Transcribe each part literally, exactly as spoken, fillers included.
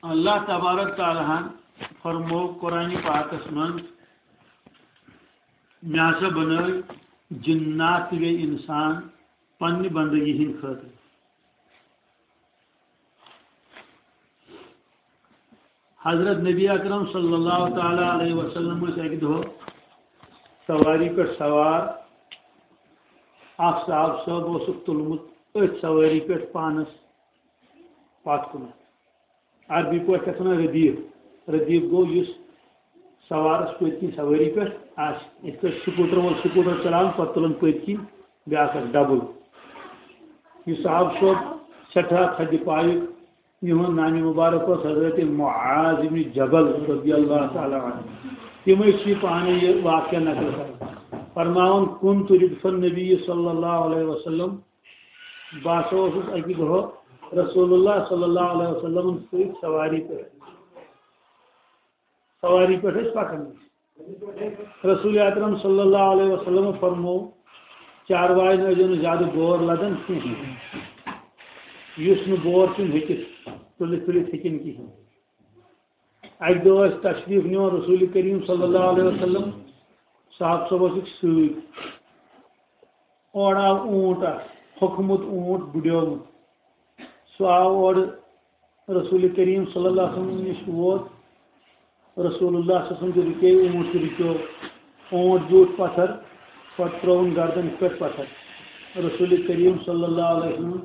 اللہ تبارک تعالیٰ ہن فرمو قرآن پاکس منٛز، مےٚ ہسا بنٲے جنات تہٕ بیٚیہِ انسان پننہِ بندگی ہٕنٛدِ خٲطرٕ۔ حضرت نبی اکرم صلی اللہ تعالیٰ علیہ وسلم ٲسۍ اکہِ دۄہ سواری پٮ۪ٹھ سوار۔ اکھ صاحب صٲب اوسُکھ تُلمُت أتھۍ سواری پٮ۪ٹھ پانس پتھ کُنتھ۔ عربی پٲٹھۍ چھِ اَتھ وَنان ردیٖف۔ ردیٖف گوٚو یُس سوارَس پٔتۍ کِنۍ سوٲری پٮ۪ٹھ آسہِ۔ یِتھ پٲٹھۍ سکوٗٹر وول سکوٗٹر چلاوان، پَتہٕ تُلان پٔتۍ کِنۍ بیٛاکھ اکھ ڈبل۔ یُس صاحب صٲب سٮ۪ٹھاہ تھدِ پایُک، یِہُنٛد نامہِ مُبارک اوس حضرت معاذ ابن جبل رضی اللہ تعالیٰ عنہ۔ تِمے چھِ پانہٕ یہِ واقعہ نقل کران۔ فرماوان، "كنت ردف النبي صلى الله عليه وسلم"، بہٕ ہسا اوسُس اَکہِ دۄہ رسول اللہ صلی اللہ علیہ وسلمن سۭتۍ سواری پٮ۪ٹھ۔ سواری پٮ۪ٹھ ٲسۍ پکان۔ رسول اکرم صلی اللہ علیہ وسلم فرمو، چاروایَن ٲسۍزیو نہٕ زیادٕ بور لدان کینٛہہ۔ یُس نہٕ بور چھُنہٕ ہیٚکِتھ، تُلِتھ تُلِتھ ہیٚکِنۍ کِہیٖنۍ۔ اَکہِ دۄہ ٲسۍ تشریٖف نِوان رسول کریم صلی اللہ علیہ وسلم، صاحب صٲب ٲسِکھ سۭتۍ۔ اورٕ آو اوٗنٹ اکھ، ہوٚکھمُت اوٗنٹ، بُڈیومُت۔ سُہ آو اورٕ رسول کریم صلی اللہ علیہ وسلم نِش ووت۔ رسول اللہ صلی اللہ علیہ وسلم تہِ رُکے، اوٗنٹ تہِ رُکیو۔ اوٗنٹ بیوٗٹھ پتھر، پتہٕ ترٛووُن گردن پٮ۪ٹھ پتھر۔ رسول کریم صلی اللہ علیہ وسلم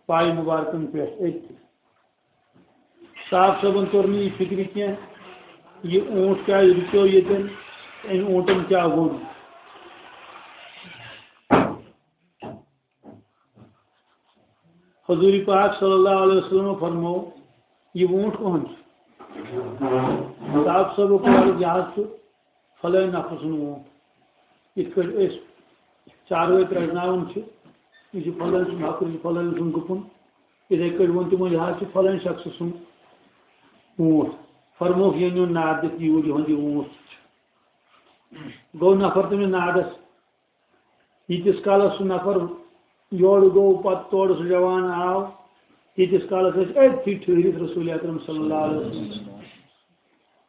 پایہِ مُبارکن پٮ۪ٹھ أتھۍ۔ صاحب صٲبن توٚر نہٕ یہِ فِکرِ کینٛہہ، یہِ اوٗنٹ کیٛازِ رُکیو ییٚتٮ۪ن، أمۍ اوٗنٹن کیٛاہ ووٚن۔ حضور پاک صلی اللہ علیہ وسلم فرمو، "یہِ اوٗنٹ کٕہُنٛد چھُ؟" صاحب صٲبو کوٚر عرض، "یہِ حظ چھُ فلٲنۍ نفرٕ سُنٛد اوٗنٹ۔ یِتھ پٲٹھۍ أسۍ چاروٲے پرٛزناوان چھِ، یہِ چھُ فلٲنۍ سُنٛد حقہٕ، یہِ چھُ فلٲنۍ سُنٛد گُپُن، یِتھَے کٲٹھۍ ووٚن تِمو، یہِ حظ چھُ فلٲنۍ شخصہٕ سُنٛد اوٗنٹ۔" فرمووُکھ، "یہِ أنِو ناد دِتھ یوٗرۍ، یِہُنٛد یہِ اوٗنٹ چھُ۔" گوٚو نفر تٔمِس نادس۔ ییٖتِس کالس سُہ نفر یورٕ گوٚو، پتہٕ تورٕ سُہ جوان آو، تیٖتِس کالس ٲسۍ أتھی ٹھٔہرِتھ رسول اکرم صلی اللہ علیہ وسلم۔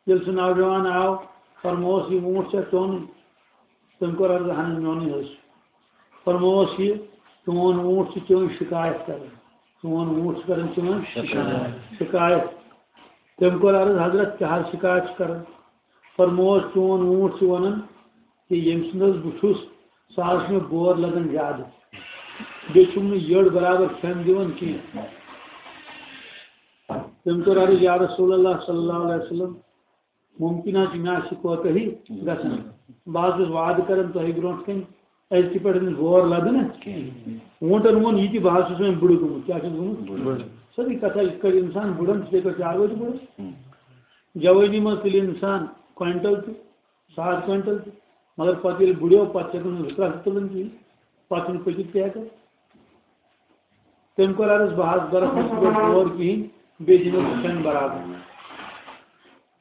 ییٚلہِ سُہ نوجوان آو، فرمووس، "یہِ ووٗنٛٹھ چھا چون؟" تٔمۍ کوٚر عرض، "اہن، میونٕے حظ چھُ۔" فرمووس، "یہِ چون ووٗنٛٹھ چھُ چٲنۍ شِکایت کران، چون ووٗنٛٹھ چھُ کران چٲنۍ شِکایت۔" تٔمۍ کوٚر عرض، "حضرت، کیٛاہ حظ شِکایت چھُ کران؟" فرمووس، "چون ووٗنٛٹھ چھُ وَنان کہِ ییٚمہِ سُنٛد حظ بہٕ چھُس، سُہ حظ چھُ مےٚ بور لَگان زیادٕ۔ بیٚیہِ چھُم نہٕ یٔڈ برابر کھٮ۪ن دِوان کینٛہہ۔" تٔمۍ کوٚر عرض، "یا رسول اللہ صلی اللہ علیہ وسلم، مُمکِن حظ چھُ مےٚ آسہِ کوتاہی گژھان۔ بہٕ حظ چھُس وعدٕ کران تۄہہِ برونٛٹھ کَنہِ، أزکہِ پٮ۪ٹھ أمِس بور لَدٕ نہٕ کینٛہہ۔" ووٗنٛٹَن ووٚن یہِ تہِ، "بہٕ حظ چھُس وۄنۍ بُڈٕ گوٚمُت۔" کیٛاہ چھُس گوٚمُت؟ بُڈٕ۔ سیوٚدُے کَتھا، یِتھ کٲٹھۍ اِنسان بُڈَن چھُ، تِتھَے پٲٹھۍ چاروٲے تہِ بُڈَن۔ جوٲنی منٛز تُلہِ اِنسان کویِنٹَل تہِ، ساڑ کویِنٹَل تہِ، مگر پتہٕ ییٚلہِ بُڈیو، پتہٕ چھِ ہٮ۪کان زٕ ترٛکھ تہِ تُلٕنۍ کِہیٖنۍ، پتہٕ چھُنہٕ پٔکِتھ تہِ ہٮ۪کان۔ تٔمۍ کوٚر عرض، "بہٕ حظ بَرَس نہٕ صُبحَس اور کِہیٖنۍ، بیٚیہِ دِمو ژٕ کھٮ۪ن برابر۔"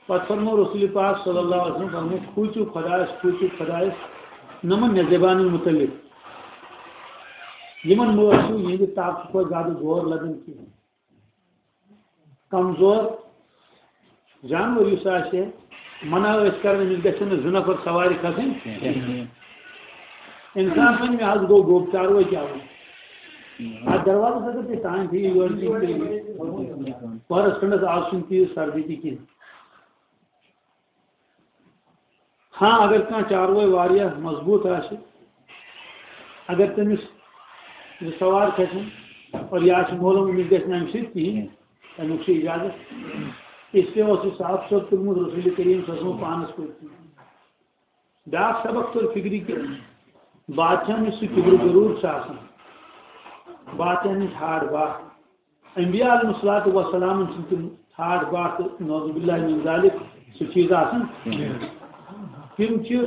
پتہٕ فرموو رسول پاک صلی اللہ علیہ وسلم، فرموو، "کھوٗژِو خۄدایَس، کھوٗژِو خۄدایَس، نہ مہ مےٚ زبانہِ مُتعلِق۔ یِمَن مہ ٲسِو یِہِنٛدِ طاقتہٕ کھۄتہٕ زیادٕ زور لَدان کِہیٖنۍ۔" کمزور جانور یُس آسہِ، منع ٲسۍ کران، أمِس گژھن نہٕ زٕ نفر سوارِ کھسٕنۍ کینٛہہ۔ اِنسان وَنہِ، "مےٚ حظ گوٚو گوٚب، چاروٲے کیٛاہ وَنہِ؟" اَتھ دروازَس اگر تُہۍ تام تھٲیِو، یورٕ تہِ تُہۍ پَہرَس کھنٛڈَس آز چھُنہٕ تیٖژ سردی تہِ کینٛہہ۔ ہاں، اگر کانٛہہ چاروٲے واریاہ مضبوٗط آسہِ، اگر تٔمِس زٕ سوار کھسن اور یہِ آسہِ معلوم أمِس گژھِ نہٕ اَمہِ سۭتۍ کِہیٖنۍ، تَمیُک چھُ اِجازت۔ اس لیے اوس یہِ صاحب صٲب تُلمُت رسول کریم صلی اللہ علیہ وسلم پانَس پٔتۍ کِنۍ۔ بیٛاکھ سبق توٚر فِکرِ کہِ بادشاہَن نِش سُہ کِبرٕ غروٗر چھُ آسان، بادشاہَن نِش ہاٹھ باٹھ۔ انبیاء علیہ الصلوۃ والسلام چھِ تِم ٹھاٹھ باٹھ تہٕ نعوذ باللہ من ذالک سُہ چیٖز آسان۔ تِم چھِ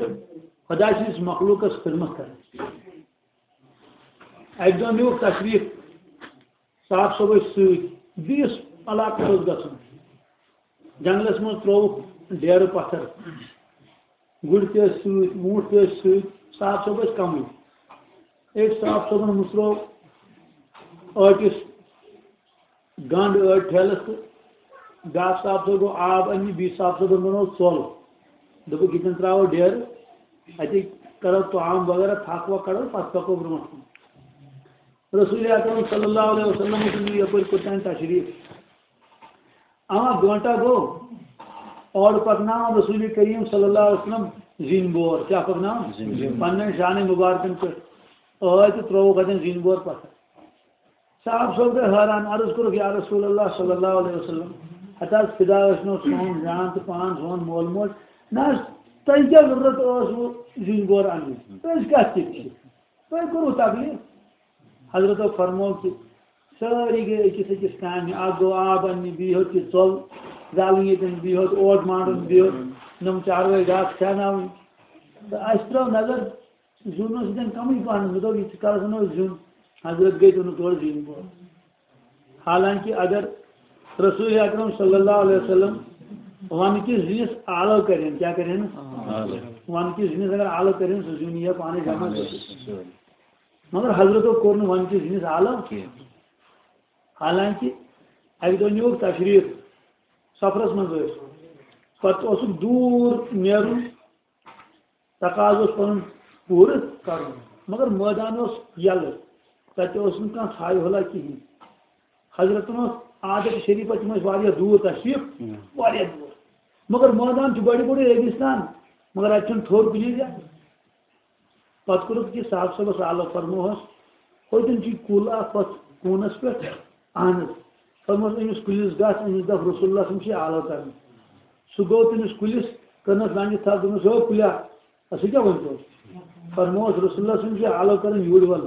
خۄداے سٕنٛدِس مخلوٗقس خدمت کران۔ اَکہِ دۄہ نیوٗکھ تشریٖف صاحب صٲبَس سۭتۍ، بیٚیِس علاقَس اوس گژھُن۔ جنگلس منٛز ترٛووُکھ ڈیرٕ پتھر۔ گُرۍ تہِ ٲسۍ سۭتۍ، ووٗنٛٹھۍ تہِ ٲسۍ سۭتۍ، صاحب صٲب ٲسۍ کمٕے۔ أکۍ صاحب صٲبن مُژروو ٲٹِس گنٛڈ ٲٹۍ ٹھیلس تہٕ بیٛاکھ صاحب صٲب گوٚو آب اَننہِ، بیٚیہِ صاحب صٲبَن بَنوو ژوٚل۔ دوٚپُکھ، ییٚتٮ۪ن ترٛاوو ڈیرٕ، اَتی کَرو طعام وغیرہ، پھَکھ وَکھ کَڑو، پَتہٕ پَکو برٛونٛٹھ کُن۔ رسول اکرم صلی اللہ علیہ وسلم اوس نہٕ یَپٲرۍ کوٚت تام تشریٖف۔ اما گٲنٛٹہ گوٚو، اورٕ پَکناوان رسول کریم صلی اللہ علیہ وسلم زِنۍ بور۔ کیٛاہ پَکناوان؟ زِنۍ۔ پَنٕنٮ۪ن شانَن مُبارکَن پٮ۪ٹھ ٲے تہٕ ترٛووُکھ اَتٮ۪ن زِنۍ بور پَتھر۔ صاحب صٲب گٔے حٲران، عرض کوٚرُکھ، یا رسول اللہ صلی اللہ علیہ وسلم، ہتہٕ حظ فدا ٲسۍ نو سون جان تہٕ پان، سون مول موج۔ نہ حظ، تۄہہِ کیٛاہ ضروٗرت ٲس وۄنۍ زِنۍ بور اَننٕچ؟ أسۍ کَتھ کِتھ چھِ؟ تۄہہِ کوٚروٕ تکلیٖف؟ حضرتو فرموو کہِ سٲری گٔے أکِس أکِس کامہِ، اَکھ گوٚو آب اَننہِ، بیٚیہِ ہیوٚت یہِ ژوٚل زالٕنۍ ییٚتٮ۪ن، بیٚیہِ ہیوٚت اوٹ مانٛڈُن، بیٚیہِ ہیوٚت نۄم چاروٲے گاسہٕ کھیٛاناوٕنۍ۔ تہٕ اَسہِ ترٛٲو نظر، زیُن اوس ییٚتٮ۪ن کمٕے پہن، مےٚ دوٚپ، ییٖتِس کالس اَنو أسۍ زیُن۔ حضرت گٔے تہٕ اوٚنُکھ تورٕ زِنۍ بور۔ حالانکہ اگر رسول اکرم صلی اللہ علیہ وسلم ونہٕ کِس زِنِس آلو کرِہن، کیٛاہ کرِہن؟ آلو۔ ونہٕ کِس زِنِس اگر آلو کرِہن، سُہ زیُن یی ہا پانے جمع کٔرِتھ۔ مگر حضرتو کوٚر نہٕ ونہٕ کِس زِنِس آلو۔ کینٛہہ۔ حالانکہ اکہِ دۄہ نیوٗکھ تشریٖف، سفرس منٛز ٲسۍ، پتہٕ اوسُکھ دوٗر نیرُن، تقاضہٕ اوس پنُن پوٗرٕ کرُن، مگر مٲدان اوس یَلہٕ، تَتہِ اوس نہٕ کانٛہہ ژھایہِ ہُلا کِہیٖنۍ۔ حضرتن اوس عادت شریٖفہ، تِم ٲسۍ واریاہ دوٗر تشریٖف، ہُم۔ واریاہ دوٗر، مگر مٲدان چھُ بڑِ بڑِ ریگِستان، مگر اَتہِ چھُنہٕ تھوٚد کُنی جایہِ۔ پتہٕ کوٚرُکھ یہِ صاحب صٲبس آلو، فرموہس، ہوٚتٮ۪ن چھُ کُل اکھ ہۄتھ کوٗنس پٮ۪ٹھ، اہن حظ۔ فرموہس، أمِس کُلِس گژھ، أمِس دَپ رسول اللہ صٲب چھِ آلو کران۔ سُہ گوٚو تٔمِس کُلِس، کٔرنَس لنجہِ تھپھ، دوٚپنَس، ہو کُلیا، اَسہِ کیٛاہ ؤنۍ تو؟ فرموہس، رسول اللہ صٲب چھِ آلو کران یوٗرۍ وَل۔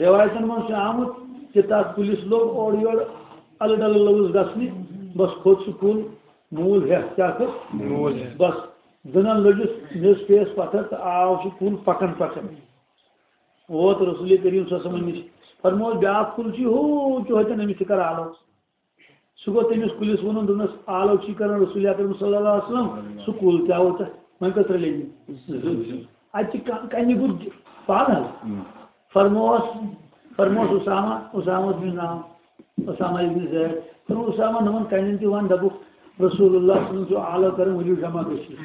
رٮ۪وایتَن منٛز چھُ آمُت کہِ تَتھ کُلِس لوٚگ اورٕ یورٕ اَلہٕ ڈَلہٕ لوٚگُس گژھنہِ، بَس کھوٚت سُہ کُل موٗل ہٮ۪تھ۔ کیٛاہ کھوٚت؟ موٗل ہٮ۪تھ۔ بَس دٕنَن لٔجِس میٚژ پیٚیَس پَتھر تہٕ آو سُہ کُل پَکان پَکان۔ ووت رسول کریم صلی اللہ علیہ وسلم نِش۔ فرمووُس، بیٛاکھ کُل چھُ ہُہ، چھُ ہوٚتٮ۪ن، أمِس تہِ کر آلو۔ سُہ گوٚو تٔمِس کُلِس ووٚنُن، دوٚپنَس، آلو چھُے کران رسول اکرم صلی اللہ علیہ وسلم، سُہ کُل تہِ آو تہٕ وۄنۍ کٔژ رٔلے؟ زٕ۔ اَتہِ چھِ ک-، کَنہِ گوٚو پانہٕ حظ۔ فرمووس، فرمووس اسامہ، اسامہ بن نام، اسامہ ابن زید، فرمووس، اسامہ، نمن کَنٮ۪ن تہِ وَن، دَپُکھ، رسول اللہ صلی اللہ علیہ وسلم چھُ آلو کران، ؤلِو جمع گٔژھِو۔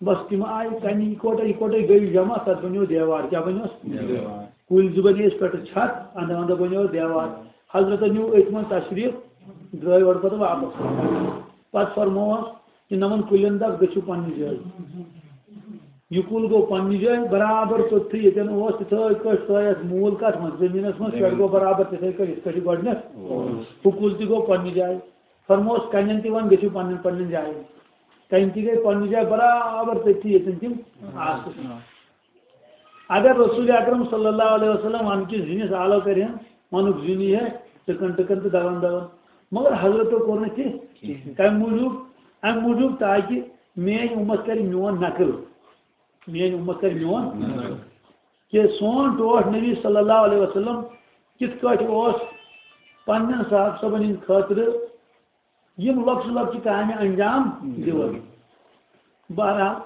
بس تِم آیہِ کَنہِ اِکوٹے اِکوٹے گٔے جمع، تَتھ بَنیو دیوار۔ کیٛاہ بَنیوس؟ دیوار۔ کُلۍ زٕ بَنے أسۍ پٮ۪ٹھٕ چھت، اَنٛدٕ اَنٛدٕ بَنیو دیوار۔ حضرتن نیوٗ أتھۍ منٛز تشریٖف، درٛاے اورٕ پَتہٕ واپس۔ پَتہٕ فرمووس کہِ نَمَن کُلٮ۪ن دَپ، گٔژھِو پنٛنہِ جایہِ۔ یہِ کُل گوٚو پنٛنہِ جایہِ برابر توٚتھٕے ییٚتٮ۪ن اوس، تِتھَے کٲٹھۍ ترٛٲے اَتھ موٗل کَتھ منٛز، زٔمیٖنَس منٛز، پٮ۪ٹھ گوٚو برابر تِتھَے کٲٹھۍ، یِتھ کٲٹھۍ یہِ گۄڈٕنٮ۪تھ اوس۔ ہُہ کُل تہِ گوٚو پنٛنہِ جایہِ۔ فرمووس کَنٮ۪ن تہِ وَن، گٔژھِو پنٛنٮ۪ن پنٛنٮ۪ن جایَن۔ کَنہِ تہِ گٔے پنٛنہِ جایہِ برابر تٔتھی ییٚتٮ۪ن تِم آسہٕ۔ اگر رسول اکرم صلی اللہ علیہ وسلم وَنہٕ کِس زِنِس آلو کَرِہَن، وَنُکھ زِنۍ یی ہے ٹٕکَن ٹٕکَن تہٕ دَوَن دَوَن۔ مگر حضرتو کوٚر نہٕ تہِ کِہیٖنۍ۔ کَمہِ موٗجوٗب؟ اَمہِ موٗجوٗب تاکہِ میٛٲنۍ اُمت کَرِ میون نقل۔ میٛٲنۍ اُمت کَرِ میون نقل۔ کہِ سون ٹوٹھ نبی صلی اللہ علیہ وسلم کِتھ کٲٹھۍ اوس پنٛنٮ۪ن صحابہٕ صٲبَن ہِنٛدِ خٲطرٕ یِم لۄکچہِ لۄکچہِ کامہِ انجام دِوان۔ بہرحال،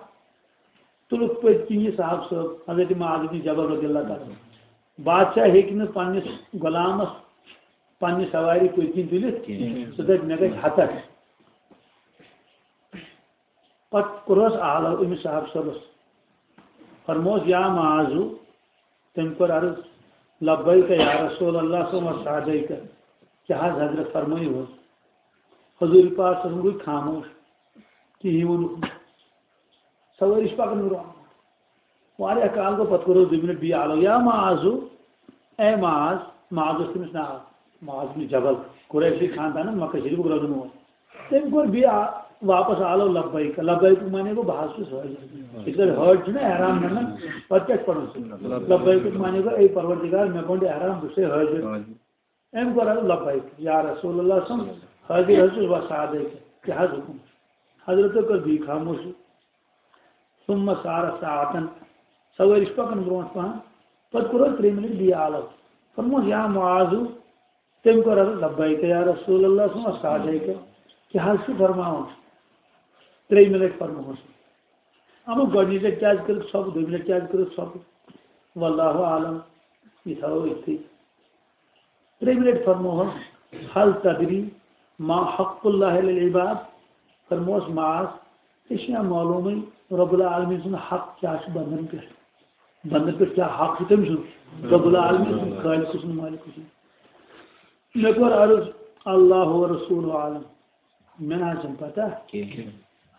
تُلُکھ پٔتۍ کِنۍ یہِ صاحب صٲب، حضرت معاذ بن جبل رضی اللہ تعالیٰ عنہ۔ بادشاہ ہیٚکہِ نہٕ پننِس غلامس پننہِ سوارِ پٔتۍ کِنۍ تُلِتھ کینٛہہ۔ سُہ دَپہِ، مےٚ گژھِ ہتک۔ پتہٕ کوٚرہس آلو أمِس صاحب صٲبس۔ فرموس، یا معاذ، تٔمۍ کوٚر عرض، لبیک یا رسول اللہ، ثم سعدیک۔ کیٛاہ حض حضرت فرمٲیِو حظ؟ حضور پاک صلی اللہ علیہ وسلم گوٚو خاموش، کِہیٖنۍ ووٚنُکھ نہٕ۔ سوٲرۍ چھِ پَکان برٛونٛہہ۔ واریاہ کال گوٚو، پَتہٕ کوٚرُس دُیہِ مِنَٹ بیٚیہِ آلو، یا معاذ، اے معاذ، معاذ اوس تٔمِس ناو، معاذ بن جبل، قریشی خاندانَن مکہ شریٖفُک روزَن وول۔ تٔمۍ کوٚر بیٚیہِ آ-، واپَس آلو لبیک۔ لبیکُک معنی گوٚو، بہٕ حظ چھُس حٲضِر۔ یِتھ کٲٹھۍ حٲج چھُنہ احرام نَنان، پَتہٕ کیٛاہ چھُ پَرُن سُہ؟ لبیکُک معنی گوٚو، اے پروردگار، مےٚ گوٚنٛڈ احرام، بہٕ چھُسے حٲضِر۔ أمۍ کوٚر عرض، لبیک یا رسول اللہ صلی اللہ علیہ وسلم، حٲضِر حظ چھُس، بس سادے تہٕ کیٛاہ حظ حُکُم؟ حضرتو کٔر بیٚیہِ خاموشی۔ ثم سار ساعتن، سوٲرۍ چھِ پکان برونٛٹھ پہن، پتہٕ کوٚر حظ ترٛیٚیہِ مِنٹہِ بیٚیہِ آلو۔ فرموس، یا معاذ، تٔمۍ کوٚر عرض، لبیک یا رسول اللہ صلی اللہ علیہ وسلم، سادے تہٕ کیٛاہ حظ چھُ فرماوان؟ ترٛیٚیہِ مِنٹہِ فرموس۔ اما گۄڈٕنِچ لٹہِ کیٛازِ کٔرٕکھ ژھۄپہٕ، دوٚیمہِ لٹہِ کیٛازِ کٔرٕکھ ژھۄپہٕ؟ واللہ اعلم، یہِ تھاوو أتھی۔ ترٛیٚیہِ مِنٹہِ فرموہس، حل تدری ما حق اللہ علی العباد، فرموس معاذ، ژےٚ چھُیا معلومٕے رب العالمین سُنٛد حق کیٛاہ چھُ بندن پٮ۪ٹھ؟ بندن پٮ۪ٹھ کیٛاہ حق چھُ تٔمۍ سُنٛد؟ رب العالمین سُنٛد، خالق سُنٛد، مالک سُنٛد۔ مےٚ کوٚر عرض، اللہ و رسول عالم، مےٚ نہ حظ چھَنہٕ پتہ۔ کِہیٖنۍ۔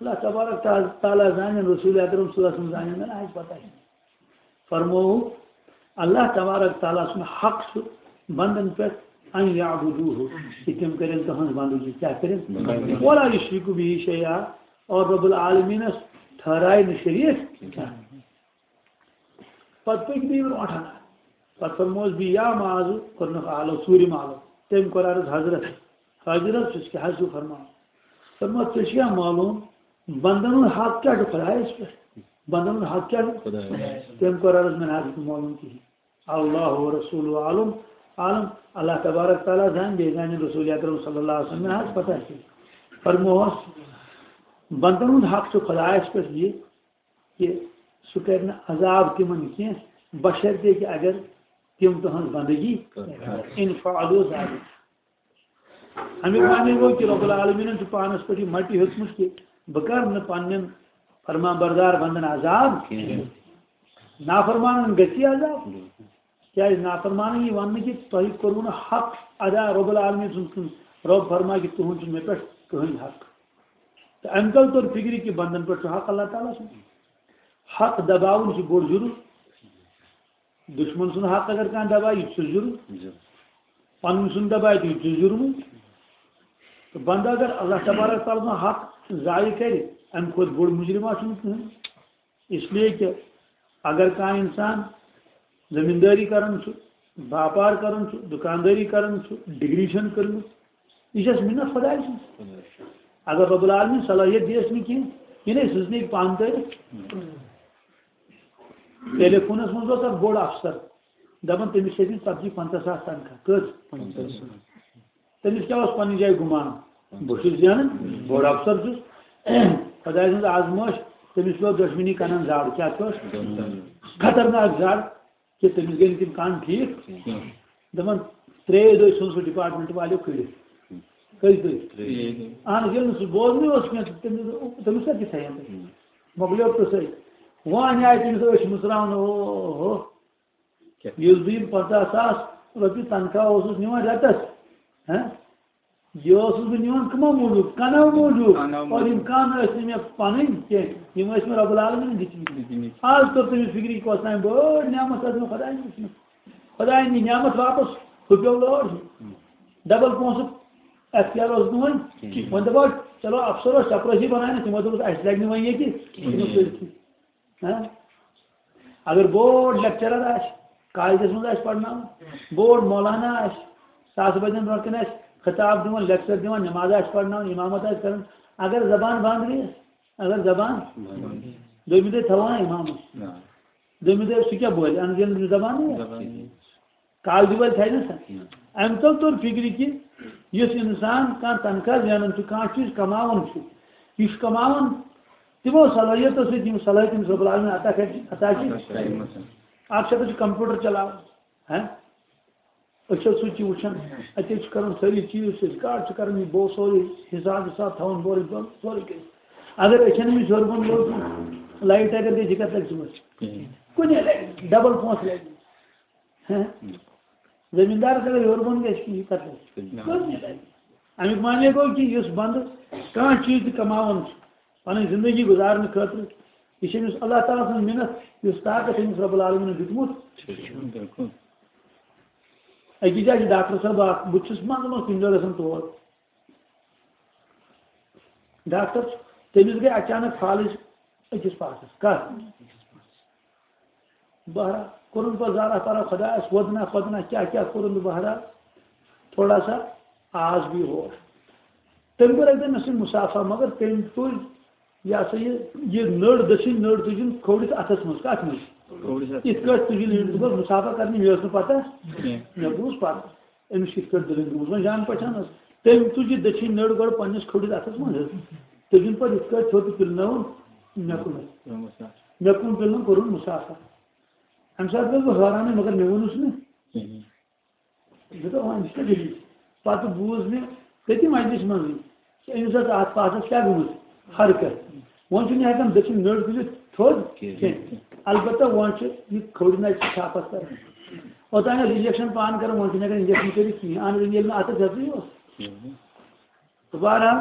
اللہ تبارک تعالیٰ زانن، رسول اکرم صلی اللہ علیہ وسلم زانن، مےٚ نہ حظ پتہ۔ فرمووُکھ، اللہ تبارک تعالیٰ سُنٛد حق چھُ بندن پٮ۪ٹھ ان یعبدوہ، کہ تِم کرن تُہنٛز بندگی، کیٛاہ کرن؟ بندگی۔ ولا یشرکو بہ شیئا، اور رب العالمینس ٹھہرایہِ نہٕ شریک کینٛہہ۔ پتہٕ پٔکۍ بیٚیہِ برونٛٹھ ہنا۔ پتہٕ فرمووس بہٕ یا معاذ، کوٚرنکھ آلو، ژوٗرِم آلو۔ تٔمۍ کوٚر عرض حضرت، حضرت چھُس کیٛاہ حظ چھُو فرماوان؟ فرموو، ژےٚ چھُیا معلوم بندن ہُنٛد حق کیٛاہ چھُ خدایس پٮ۪ٹھ؟ بندن ہُنٛد حق کیٛاہ چھُ؟ خدایس۔ تٔمۍ کوٚر عرض، مےٚ نہ حظ چھُنہٕ معلوم کِہیٖنۍ۔ اللہ و رسول عالم، عالم، اللہ تبارک تعالیٰ زانہِ، بیٚیہِ زانہِ رسول اکرم صلی اللہ علیہ وسلم، مےٚ نہ حظ پتہ کِہیٖنۍ۔ فرمووس، بندن ہُنٛد حق چھُ خدایس پٮ۪ٹھ یہِ، کہ سُہ کرِ نہٕ عذاب تِمن کینٛہہ، بشرطے کہ اگر تِم تُہنٛز بندگی کرن۔ ان فعلوا ذلک۔ امیُک معنی گوٚو کہ رب العالمینن چھُ پانس پٮ۪ٹھ یہِ مٹہِ ہیوٚتمُت کہ بہٕ کرٕ نہٕ پننٮ۪ن فرمان بردار بندن عذاب کینٛہہ۔ نافرمانن گژھِ عذاب۔ کیٛازِ نافرمانن یی وننہٕ کہ تۄہہِ کوٚروٕ نہٕ حق ادا رب العالمین سُنٛد کُن۔ رب فرمایہِ کہ تُہُنٛد چھُنہٕ مےٚ پٮ۪ٹھ کٕہٕنۍ حق۔ تہٕ اَمہِ تَل توٚر فِکرِ کہِ بنٛدَن پٮ۪ٹھ چھُ حق اللہ تعالیٰ سُنٛد۔ حق دباوُن چھُ بوٚڑ جُرُم۔ دُشمَن سُنٛد حق اگر کانٛہہ دبایہِ، یہِ تہِ چھُ جُرُم۔ جُرُم۔ پَنُن سُنٛد دبایہِ، تہِ چھُ جُرمٕے۔ تہٕ بنٛدٕ اگر اللہ تبارک تعالیٰ سُنٛد حق ضایع کَرِ، اَمہِ کھۄتہٕ بوٚڑ مُجرِم آسہِ نہٕ کٕہٕنۍ۔ اس لیے کہ اگر کانٛہہ اِنسان زٔمیٖندٲری کران چھُ، باپار کران چھُ، دُکاندٲری کران چھُ، ڈگری چھَنہٕ کٔرمٕژ، یہِ چھَس مِنت خۄداے سٕنٛز۔ اگر رب العالمین صلٲحیت دِیَس نہٕ کینٛہہ، یہِ نے سٕزنٕکۍ پانہٕ تٲرِتھ۔ ٹیلی فونَس منٛز اوس اکھ بوٚڑ افسر، دَپان تٔمِس چھِ دِنۍ ژتجی پنٛژاہ ساس تنخواہ۔ کٔژ؟ پنٛژاہ ساس۔ تٔمِس کیٛاہ اوس پننہِ جایہِ گُمان؟ بہٕ چھُس زینان، بوٚڑ افسر چھُس۔ خۄداے سٕنٛز آزمٲیش، تٔمِس پیوٚو دۄشوٕنی کنن زر۔ کیٛاہ چھُس؟ خطرناک زر۔ کہ تٔمِس گٔے نہٕ تِم کن ٹھیٖک۔ دَپان، ترٛیٚیہِ دۄہہِ ژھُن سُہ ڈپارٹمنٹ والیو کٔڑِتھ۔ کٔژِ دۄہہِ؟ ترٛیٚیہِ۔ اہن حظ، ییٚلہِ نہٕ سُہ بوزنٕے اوس کینٛہہ، تہٕ تٔمِس، تٔمِس کیٛاہ تہِ تھایَن تَتہِ؟ مۄکلیو قٕصَے۔ وۄنۍ آیہِ تٔمِس أچھ مٕژراونہٕ، او ہو۔ کیٛاہ؟ یُس بہٕ یِم پنٛژاہ ساس رۄپیہِ تنخواہ اوسُس نِوان رٮ۪تَس، ہہ؟ یہِ اوسُس بہٕ نِوان کٕمو موٗجوٗب؟ کَنو موٗجوٗب۔ کَنو موٗجوٗب۔ اور یِم کَن ٲسۍ نہٕ مےٚ پَنٕنۍ کینٛہہ، یِم ٲسۍ مےٚ رۄب العالمیٖنَن دِتمٕتۍ۔ دِتمٕتۍ۔ آز توٚر تٔمِس فِکرِ، یہِ کۄس تام بٔڑ نعمت ٲس مےٚ خۄدایَن دِژمٕژ۔ خۄدایَن دِژ نعمت واپَس، ہُہ پیوٚو لٲر۔ ہُم۔ ڈبل پونٛسہٕ اختیار اوس نہٕ وۄنۍ۔ کِہیٖنۍ۔ وۄنۍ دَپو، چلو، افسر اوس چپرٲسی بَناونَس، تِمو دوٚپُس، اَسہِ لَگہِ نہٕ وۄنۍ ییٚتہِ۔ کِہیٖنۍ۔ ہہ؟ اگر بوٚڑ لیکچرر آسہِ، کالجس منٛز آسہِ پرناوان، بوٚڑ مولانا آسہِ، ساسہٕ بٔدین برونٛٹھ کنہِ آسہِ خطاب دِوان، لیکچر دِوان، نماز آسہِ پرناوان، امامت آسہِ کران، اگر زبان بند گٔیس، اگر زبان، دوٚیمہِ دۄہہِ تھاوان امامس۔ نہ۔ دوٚیمہِ دۄہہِ سُہ کیٛاہ بولہِ؟ اَنہٕ ییٚلہِ نہٕ زبانٕے آسہِ۔ زبانٕے۔ کالجہِ وٲلۍ تھایہِ نہ سا۔ کینٛہہ۔ اَمہِ تَل توٚر فِکرِ کہِ یُس اِنسان کانٛہہ تنخواہ زینان چھُ، کانٛہہ چیٖز کماوان چھُ، یہِ چھُ کماوان تِمو صلٲحیتو سۭتۍ، یِم صلٲحیت تٔمِس رۄب العالمین عطا کَرِ، عطا چھِ۔ عطا چھِ کٔرمٕژ۔ اَکھ چھِ دَپان چھُ کمپیوٗٹر چلاوان، ہہ؟ أسۍ چھِ سُہ تہِ وٕچھان، اَتہِ چھِ کران سٲری چیٖز، چھِ أسۍ کاڈ چھِ کران، یہِ بوٚو سورُے حساب وِساب تھاوان بورٕے بۄن، سورُے کینٛہہ۔ اگر أچھن أمِس ہیوٚر بۄن لوٚگ، لایٹ اگر گٔے، یہِ کَتھ لَگہِ صُبحَس؟ کِہیٖنۍ۔ کُنے لَگہِ، ڈبل پونٛسہٕ لَگہِ۔ ہہ؟ زٔمیٖندارَس اگر ہیوٚر بۄن گژھِ، یہِ کَتھ لَگہِ؟ کِہیٖنۍ۔ کُنے لَگہِ۔ اَمیُک معنی گوٚو کہِ یُس بنٛدٕ کانٛہہ چیٖز تہِ کماوان چھُ، پنٕنۍ زندگی گُزارنہٕ خٲطرٕ، یہِ چھِ أمِس اللہ تعالیٰ سٕنٛز مِنت، یُس طاقت أمِس رۄب العالمیٖنَن دیُتمُت۔ بِلکُل۔ أکِس جایہِ چھُ ڈاکٹر صٲب اکھ، بہٕ تہِ چھُس منٛزٕ منٛزٕ کُنہِ دۄہ گژھان تور۔ ڈاکٹر چھُ، تٔمِس گٔے اچانک فالج أکِس پاسَس۔ کَتھ؟ بہرحال، کوٚرُن پَتہٕ زارا پارا خۄدایَس، وۄدنا خۄدنا کیٛاہ کیٛاہ کوٚرُن تہٕ بہرحال، تھوڑا سا آس بیٚیہِ ہورٕ۔ تٔمۍ کوٚر اَکہِ دۄہ مےٚ سۭتۍ مُسافہ، مگر تٔمۍ تُج یہِ ہسا یہِ، یہِ نٔر، دٔچھِنۍ نٔر تُجِن کھوورِس اَتھَس منٛز۔ کَتھ منٛز؟ کھوورِس اَتھَس۔ یِتھ کٲٹھۍ تُجِن یِم، دوٚپُکھ، مُسافہ کَرنہِ، مےٚ ٲس نہٕ پَتہ۔ کینٛہہ۔ مےٚ بوٗز پَتہٕ أمِس کِتھ کٲٹھۍ دٔلیٖل گٔمٕژ۔ وۄنۍ جان پہچان ٲس۔ تٔمۍ تُج یہِ دٔچھِنۍ نٔر گۄڈٕ پنٛنِس کھوورِس اَتھَس منٛز حظ۔ تٔجِن پَتہٕ یِتھ کٲٹھۍ تھوٚد تہٕ پِلنٲوٕن مےٚ کُنَتھ۔ مےٚ کُن پِلنٲو، کوٚرُن مُسافہ۔ اَمہِ ساتہٕ گوٚوُس بہٕ حٲرانٕے، مگر مےٚ ووٚنُس نہٕ۔ کِہیٖنۍ۔ مےٚ دوٚپ، وۄنۍ چھِ دٔلیٖل۔ پَتہٕ بوٗز مےٚ، تٔتی مجلسہِ منٛزٕے۔ أمِس ٲس اَتھ پاسَس کیٛاہ گٔمٕژ؟ حرکت۔ وۄنۍ چھُنہٕ ہٮ۪کان دٔچھِنۍ نٔر تُلِتھ تھوٚد کینٛہہ۔ کینٛہہ۔ البتہ وۄنۍ چھُ یہِ کھوٚڑ نَے چھِ چھاپَس کَران۔ اوٚتام ٲس injection پانہٕ کَران، وۄنۍ چھُنہٕ ہٮ۪کان injection کٔرِتھ کِہیٖنۍ۔ اَہَن حظ، ییٚلہِ نہٕ اَتھَس ہٮ۪ژٕے اوس۔ تہٕ بہرحال،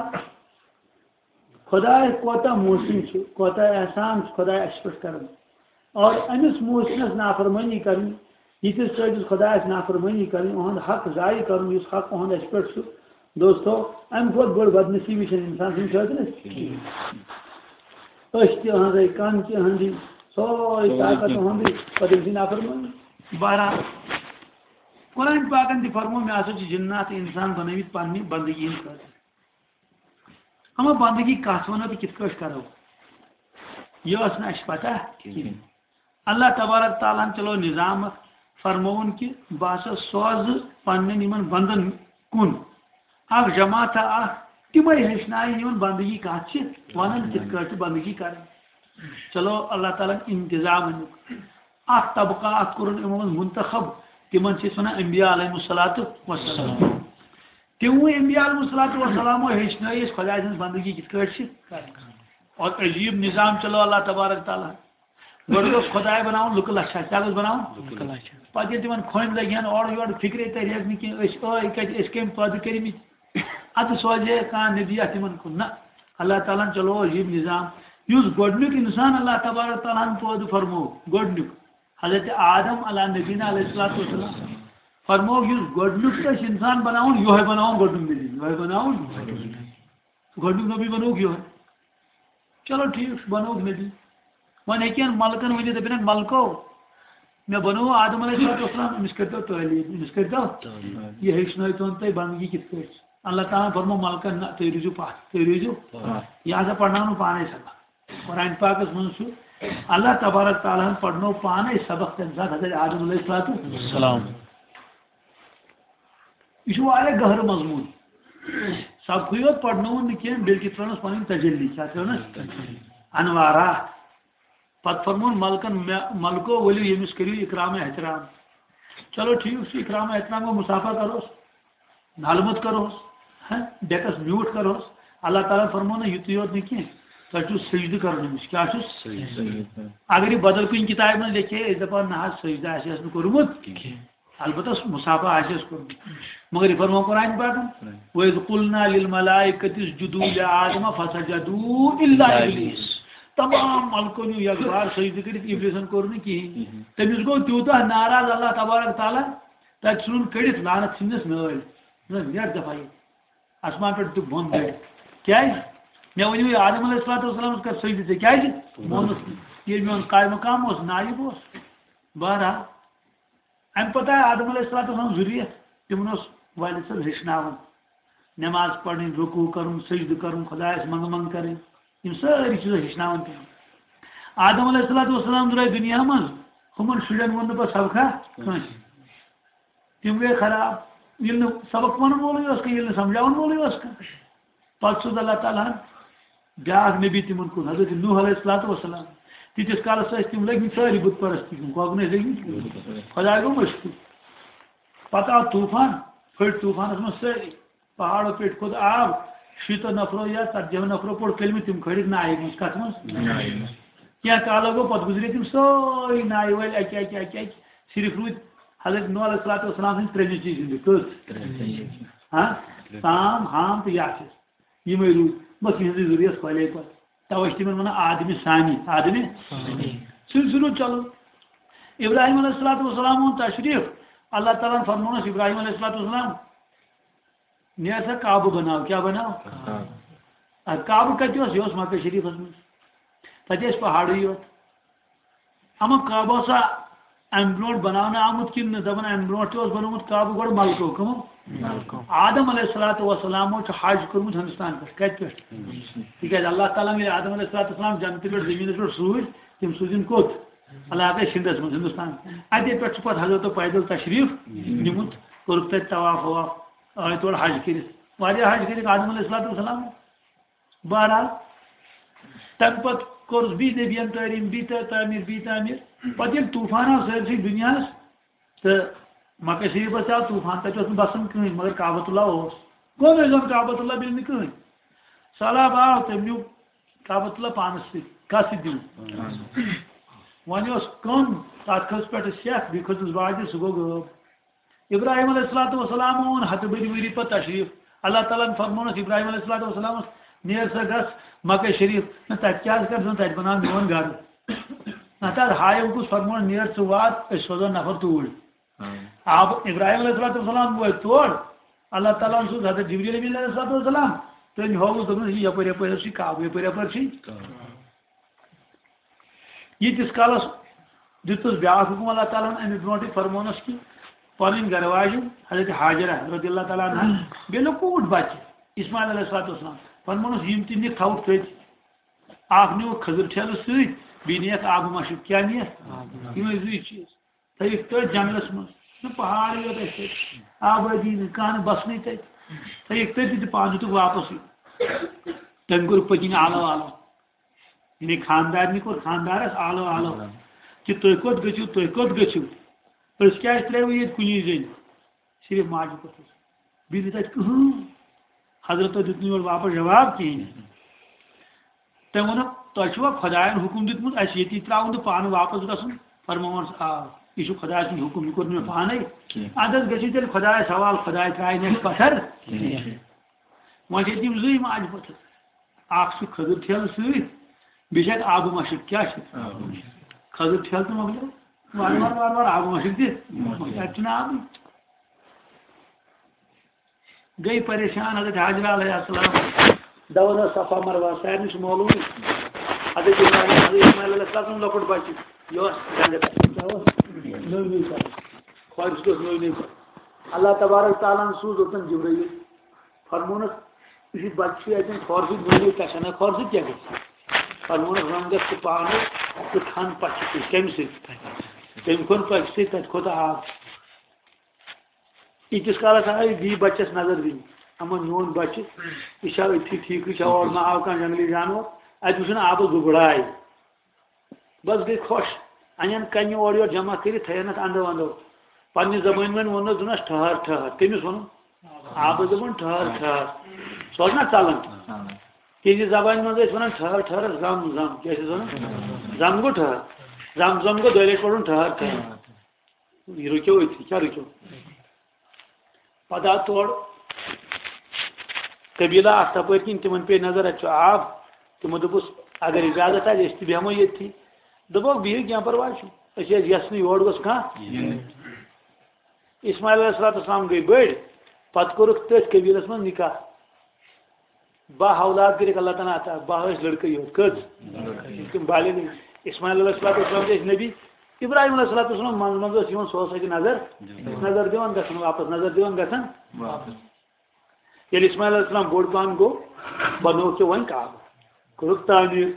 خۄداے کوتاہ محسن چھُ، کوتاہ احسان چھُ خۄداے اَسہِ پٮ۪ٹھ کَران۔ اور أمِس محسنَس نافرمٲنی کَرٕنۍ، یِتھِس کٲٹھۍ خۄدایَس نافرمٲنی کَرٕنۍ، اُہُنٛد حق ضایع کَرُن، یُس حق اُہُنٛد اَسہِ پٮ۪ٹھ چھُ، دوستو، اَمہِ کھۄتہٕ بٔڑ بدنصیٖبی چھَنہٕ اِنسان سٕنٛدِ خٲطرٕ کِہیٖنۍ۔ أچھ تہِ أہٕنٛزٕے، کَن تہِ أہٕنٛدی، سورُے طاقت أہٕنٛدُے، پَتہٕ أمۍ سٕنٛدِ نافرمٲنی۔ بہرحال، قرآن پاکَن تہِ فرموو، مےٚ ہسا چھِ جِنات تہٕ اِنسان بَنٲومٕتۍ پنٛنہِ بندگی ہِنٛدِ خٲطرٕ۔ اما بندگی کتھ ونو تہٕ کِتھ کٲٹھۍ کرو؟ یہِ ٲس نہٕ اَسہِ پتہ کِہیٖنۍ۔ کِہیٖنۍ۔ اللہ تبارک تعالیٰ ہن چلو نظام اکھ، فرمووُن کہِ بہٕ ہسا سوزٕ پننٮ۪ن یِمن بندن کُن اکھ جماعتہ اکھ، تِمے ہیٚچھناوِ یِمن بندگی کتھ چھِ ونان، کِتھ کٲٹھۍ چھِ بندگی کرٕنۍ۔ چلو، اللہ تعالیٰ ہن انتظام امیُک۔ اکھ طبقہ اکھ کوٚرُن یِمو منٛز منتخب، تِمن چھِ أسۍ ونان انبیاء علیہم الصلوۃ والسلام۔ تِموٕے انبیاء علیہم الصلوۃ والسلامو ہیٚچھنٲے أسۍ خۄداے سٕنٛز بندگی کِتھ کٲٹھۍ چھِ کرٕنۍ۔ اور عجیب نظام چلو اللہ تبارک تعالیٰ۔ گۄڈٕ گوٚژھ خۄداے بناوُن لُکہٕ لچھا، کیٛاہ گوٚژھ بناوُن؟ لُکہٕ لچھا۔ پتہٕ ییٚلہِ تِمن کھوٚنۍ لگہِ ہن اورٕ یورٕ فکرے ترِ ہس نہٕ کینٛہہ، أسۍ ٲے کتہِ، أسۍ کٔمۍ پٲدٕ کٔرمٕتۍ؟ ادٕ سوزے کانٛہہ نبی اتھ تِمن کُن؟ نہ، اللہ تعالیٰ ہن چلو عجیب نظام۔ یُس گۄڈنیُک انسان اللہ تبارک تعالیٰ ہن پٲدٕ فرموو، گۄڈنیُک حضرت آدم علیٰ نبینا علیہ الصلوۃ والسلام فرموو، یُس گۄڈنیُک گژھِ انسان بناوُن، یِہوٚے بناوُن گۄڈنیُک نبی، یِہوٚے بناوُن۔ گۄڈنیُک نبی بنووُکھ یِہوٚے۔ چلو ٹھیٖک چھُ، بنووُکھ نبی۔ وۄنۍ ہیٚکہِ ہن ملکن ؤنِتھ، دٔپِن ہن، ملکو، مےٚ بنوو آدم علیہ الصلوۃ والسلام، أمِس کٔرۍتو تعلیٖم، أمِس کٔرۍتو۔ یہِ ہیٚچھنٲیتون تُہۍ بندگی کِتھ پٲٹھۍ چھِ۔ اللہ تعالیٰ ہن فرموو ملکن، نہ، تُہۍ روٗزِو پتھ، تُہۍ روٗزِو۔ پتھ۔ یہِ ہسا پرناونہٕ پانے سبق۔ قرآن پاکس منٛز چھُ اللہ تبارک تعالیٰ ہن پرنوو پانے سبق تمہِ ساتہٕ حضرت آدم علیہ الصلوۃ والسلام۔ یہِ چھُ واریاہ گہرٕ مضموٗن۔ سبقٕے یوت پرنووُن نہٕ کینٛہہ، بلکہِ ترٲونس پنٕنۍ تجلی، کیٛاہ ترٲونس؟ انوارات۔ پتہٕ فرمووُن ملکن، مےٚ، ملکو ؤلِو ییٚمِس کٔرِو اکرام احترام۔ چلو ٹھیٖک چھُ، اکرام احترام گوٚو، مصافحہ کروس، نالہٕ موٚت کروس، ہہ، ڈیکس میوٗٹھ کروس۔ اللہ تعالیٰ فرموو نہٕ یُتُے یوت نہٕ کینٛہہ، تۄہہِ چھُو سجدٕ کرُن أمِس۔ کیٛاہ چھُس؟ سجدٕ۔ اگر یہِ بدل کُنہِ کِتابہِ منٛز لیکھے، أسۍ دپان نہ حظ، سجدٕ آسہِ اَسہِ نہٕ کوٚرمُت کینٛہہ۔ البتہ مصافحہ آسہِ اَسہِ کوٚرمُت۔ مگر یہِ فرموو قرآن پاکن، "وَإِذْ قُلْنَا لِلْمَلَائِكَةِ اسْجُدُوا لِآدَمَ فَسَجَدُوا إِلَّا إِبْلِيسَ۔" تمام ملکو نیوٗ یکبار سجدٕ کٔرِتھ، ابلیسن کوٚر نہٕ کِہیٖنۍ۔ تٔمِس گوٚو تیوٗتاہ ناراض اللہ تبارک تعالیٰ، تتہِ ژھٕنُن کٔڑِتھ، لعنت ژھٕننس نٲلۍ۔ نہ، نیٹ دفعہ یہِ۔ آسمان پٮ۪ٹھ دیُت بۄن دٲرِتھ۔ کیٛازِ؟ مےٚ ؤنِو یہِ آدم علیہ الصلوۃ والسلامس کر سجدٕ ژےٚ، کیٛازِ؟ مونُس نہٕ۔ ییٚلہِ میون قائم مقام اوس، نایب اوس۔ بہرحال، اَمہِ پتہٕ آے آدم علیہ الصلوۃ والسلام ذُریت، تِمن اوس والد صٲب ہیٚچھناوان نٮ۪ماز پرٕنۍ، رکوع کرُن، سجدٕ کرُن، خۄدایس منٛگہٕ منٛگہٕ کرٕنۍ، یِم سٲری چیٖز ہیٚچھناوان تِمن۔ آدم علیہ الصلوۃ والسلام درٛاے دُنیا منٛز، ہُمن شُرٮ۪ن ووٚن نہٕ پتہٕ سبقہ کٲنٛسہِ۔ تِم گٔے خراب، ییٚلہِ نہٕ سبق ونن وولٕے اوس کانٛہہ، ییٚلہِ نہٕ سمجھاون وولٕے اوس کانٛہہ۔ پتہٕ سوٗز اللہ تعالیٰ ہن بیٛاکھ نبی تِمن کُن، حضرت نوح علیہ الصلوۃ والسلام۔ تیٖتِس کالس ٲسۍ تِم لٔگۍ مٕتۍ سٲری بُت پرستی کُن، کۄکرن ٲسۍ لٔگۍ مٕتۍ۔ خۄداے گوٚو مشکوٗر۔ پتہٕ آو طوٗفان، پھٔٹۍ طوٗفانس منٛز سٲری، پہاڑو پٮ۪ٹھ کھوٚت آب، شیٖتو نفرو یا ژتجی ہو نفرو پوٚر کلمہٕ، تِم کھٲرِکھ نایہِ منٛز۔ کتھ منٛز؟ نایہِ منٛز۔ کینٛہہ کالو گوٚو، پتہٕ گُزرے تِم سٲری نایہِ وٲلۍ اکہِ اکہِ اکہِ اکہِ، صرف روٗدۍ حضرت نوح علیہ الصلوۃ والسلام سٕنٛدۍ ترٛےٚ نیٚچوۍ زِندٕ۔ کٔژ؟ ترٛےٚ نیٚچوۍ۔ ہاں؟ سام، ہام تہٕ یافث۔ یِمے روٗدۍ۔ بس یِہٕنٛزٕے ذُریت پھٔہلے پتہٕ۔ توے چھِ تِمن ونان آدمِ ثانی۔ آدمِ ثانی۔ سلسلہٕ چلو۔ ابراہیم علیہ الصلوۃ والسلام اوٚن تشریف۔ اللہ تعالیٰ ہن فرموونس ابراہیم علیہ الصلوۃ والسلام، "نیر سا کعبہٕ بناو۔" کیٛاہ بناو؟ کعبہٕ۔ ادٕ کعبہٕ کتہِ اوس؟ یہِ اوس مکہ شریفس منٛز۔ تتہِ ٲسۍ پہاڑٕے یوت۔ اما کعبہٕ اوسا امہِ برونٛٹھ بناونہٕ آمُت کِنہٕ نہٕ؟ دپان امہِ برونٛٹھ تہِ اوس بنومُت کعبہٕ گۄڈٕ ملکو۔ کٕمو؟ ملکو۔ آدم علیہ الصلوۃ والسلامو چھُ حج کوٚرمُت ہندوستان پٮ۪ٹھ۔ کتہِ پٮ۪ٹھ؟ تِکیٛازِ اللہ تعالیٰ ہن ییٚلہِ آدم علیہ الصلوۃ والسلام جنتہٕ پٮ۪ٹھ زٔمیٖنس پٮ۪ٹھ سوٗزۍ، تِم سوٗزِن کوٚت؟ علاقے سِنٛدس منٛز، ہندوستان۔ اتے پٮ۪ٹھ چھُ پتہٕ حضرتو پیدل تشریف نیومُت، کوٚرُکھ تتہِ طواف وواف، آے تورٕ حج کٔرِتھ۔ واریاہ حج کٔرِکھ آدم علیہ الصلوۃ والسلام۔ بہرحال، تَمہِ پَتہٕ کوٚرُس بیٚیہِ نبیَن تعلیٖم، بیٚیہِ تہ-، تعمیٖر، بیٚیہِ تعمیٖر۔ پَتہٕ ییٚلہِ طوٗفان آو سٲرسٕے دُنیاہَس، تہٕ مکہ شریٖفَس تہِ آو طوٗفان، تَتہِ اوس نہٕ بَسان کٕہٕنۍ، مگر کعبۃ اللہ اوس۔ کوٚن ٲسۍ زَن کعبۃ اللہ بیٚیہِ نہٕ کٕہٕنۍ؟ سہلاب آو، تٔمۍ نیوٗ کعبۃ اللہ پانَس سۭتۍ۔ کَس سۭتۍ دیُن؟ وۄنۍ اوس کٕم، تَتھ کھٔژ پٮ۪ٹھٕ سٮ۪کھ، بیٚیہِ کھٔژٕس واجہِ، سُہ گوٚو غٲب۔ ابراہیم علیہ الصلوۃ والسلام اوٚن ہَتہٕ بٔدۍ ؤری پَتہٕ تشریٖف۔ اللہ تعالیٰ ہَن فرمونَس ابراہیم علیہ الصلوۃ والسلامَس، "نیر سا گژھ مکہ شریٖف۔" نہ، تَتہِ کیٛاہ آسہِ گژھُن؟ تَتہِ بَناو میون گرٕ۔ نہ، تَتھ ہایَم کُس فرمونَس، "نیر ژٕ وات، أسۍ سوزو نفر توٗرۍ۔" آب ابراہیم علیہ الصلوۃ والسلام وٲتۍ تور۔ اللہ تعالیٰ ہَن سوٗز حضرت جبریل امین علیہ الصلوۃ والسلام، تٔمۍ ہووُس، دوٚپنَس، "یہِ یَپٲرۍ یَپٲرۍ حظ چھُ کعبہٕ، یَپٲرۍ یَپٲرۍ چھُ یہِ کعبہٕ۔" ییٖتِس کالَس دیُتُس بیٛاکھ حُکُم اللہ تعالیٰ ہَن اَمہِ برونٛٹھٕے، فرمونَس کہِ پَنٕنۍ گَرٕ واجٮ۪ن حضرت حاجرہ رضی اللہ تعالیٰ عنہا، بیٚیہِ لۄکُٹ بَچہٕ اسماعیل علیہ الصلوۃ والسلام، فرمونَس، یِم تہِ نِکھ تھاوُکھ تٔتۍ۔ اَکھ نیوٗکھ کھٔزٕر ٹھیلہٕ سۭتۍ، بیٚیہِ نِیَکھ آبہٕ مَشُک۔ کیٛاہ نِیَکھ؟ یِمَے زٕے چیٖز۔ تھٲیِکھ تٔتھۍ جنٛگلَس منٛز، نہ پہاڑٕے یوت اَسہِ تَتہِ، آبٲدی نہٕ، کانٛہہ نہٕ بَسنٕے تَتہِ۔ تھٲیِکھ تٔتھۍ تہٕ پانہٕ دیُتُکھ واپَس یہِ۔ تٔمۍ کوٚر پٔتِنۍ آلو آلو۔ یعنی خانٛدارنہِ کوٚر خانٛدارَس آلو آلو کہِ تُہۍ کوٚت گٔژھِو، تُہۍ کوٚت گٔژھِو؟ أسۍ کیٛازِ ترٛٲوِو ییٚتہِ کُنی زٔنۍ؟ صرف ماجہِ پوٚتُس۔ بیٚیہِ نہٕ تَتہِ کٕہٕنۍ۔ حضرتو دیُت نہٕ یورٕ واپَس جواب کِہیٖنۍ۔ تٔمۍ ووٚنُکھ، "تۄہہِ چھُوا خۄدایَن حُکُم دیُتمُت اَسہِ ییٚتی ترٛاوُن تہٕ پانہٕ واپَس گژھُن؟" فرمووُن، "آ، یہِ چھُ خۄداے سُنٛد حُکُم، یہِ کوٚر نہٕ مےٚ پانَے۔" کینٛہہ۔ اَدٕ حظ گٔژھِو تیٚلہِ خۄدایَس حوالہٕ، خۄداے ترٛایہِ نہٕ اَسہِ پَتھر کینٛہہ۔ وۄنۍ چھِ ییٚتہِ یِم زٕے ماجہِ پوٚتُس۔ اَکھ چھُ کھٔزٕر ٹھیلہٕ سۭتۍ، بیٚیہِ چھِ اَتہِ آبہٕ مَشٕک۔ کیٛاہ چھِ؟ آبہٕ مَشٕک۔ کھٔزٕر ٹھیلہٕ تہٕ مۄکلیو۔ وارٕ وارٕ، وارٕ وارٕ آبہٕ مَشٕک تہِ۔ مۄکلیو۔ اَتہِ چھُنہٕ آبٕے۔ گٔے پریشان حضرت حاجرہ علیہ السلام۔ دَوان ٲس صفا مروہ، سارنٕے چھُ معلومٕے۔ حضرت ابراہیم، حضرت اسماعیل علیہ السلام سُنٛد لۄکُٹ بَچہٕ، یہِ اوس گنٛڈٕ۔ کیٛاہ اوس؟ نٔو نٔو کَران۔ خۄش اوس نٔو نٔو کَران۔ اللہ تبارک تعالیٰ ہَن سوٗز اوٚتَن جبرائیل۔ فرمونَس، یہِ بَچہٕ چھُ اَتٮ۪ن کھۄر سۭتۍ نوٚنُے کَشَن، کھۄر سۭتۍ کیٛاہ گژھِ؟ فرمونَس، وۄنۍ گژھ ژٕ پانَے تہٕ کھَن پَچہِ سۭتۍ۔ کَمہِ سۭتۍ؟ تٔمۍ کھوٚن پَچہِ سۭتۍ، تَتہِ کھوٚت آب۔ ییٖتِس کالَس آے بیٚیہِ بَچَس نظر دِنہِ، اَما میون بَچہٕ، یہِ چھا أتھی ٹھیٖکٕے چھا، اورٕ ما آو کانٛہہ جنٛگلی جانوَر؟ اَتہِ وٕچھُن آبَس دُبراے۔ بس گٔے خۄش۔ اَنٮ۪ن کَنہِ اورٕ یورٕ جمع کٔرِتھ تھٲیَن اَتھ اَندو اَندو۔ پنٛنہِ زبٲنۍ منٛز ووٚننَس، دوٚپنَس، "ٹھہر، ٹھہر۔" کٔمِس ووٚنُن؟ آبَس دوٚپُن، "ٹھہر، ٹھہر۔" سُہ اوس نہ ژَلان۔ تِہنٛزِ زبانہِ منٛز ٲسۍ وَنان، "ٹھہر، ٹھہر، زَم، زَم۔" کیٛاہ چھِ وَنان؟ زَم گوٚو ٹھہر۔ زَم، زَم گوٚو دۄیہِ لَٹہِ پَرُن، "ٹھہر، ٹھہر۔" یہِ رُکیو أتھی، کیٛاہ رُکیو؟ پتہٕ آو تورٕ قبیلہ اکھ تپٲرۍ کِنۍ، تِمن پیٚیہِ نظر، اَتہِ چھُ آب۔ تِمو دوٚپُس، "اگر اجازت آسہِ، أسۍ تہِ بیٚہمو ییٚتھی۔" دوٚپُکھ، "بِہِو، کینٛہہ پرواے چھُنہٕ، أسۍ ٲسۍ یژھنٕے یور گوٚژھ کانٛہہ۔" یِنٕے۔ اسماعیل علیہ الصلوۃ والسلام گٔے بٔڑۍ، پتہٕ کوٚرُکھ تٔتھۍ قبیلس منٛز نکاح۔ باہ اولاد کٔرِکھ اللہ تعالیٰ عطا، باہ ٲسۍ لڑکہٕ یوت۔ کٔژ؟ لڑکہٕ یوت۔ تِم بالغ ٲسۍ۔ اسماعیل علیہ الصلوۃ والسلام تہِ ٲسۍ نبی۔ ابراہیم علیہ الصلوۃ والسلام منٛز منٛز ٲس یِوان، سُہ اوس اَتہِ نظر، نظر دِوان گژھان واپس، نظر دِوان گژھان۔ واپس۔ ییٚلہِ اسماعیل علیہ السلام بوٚڑ پہن گوٚو، بنووُکھ ژےٚ وۄنۍ کعبہٕ، کوٚرُکھ تعمیٖر۔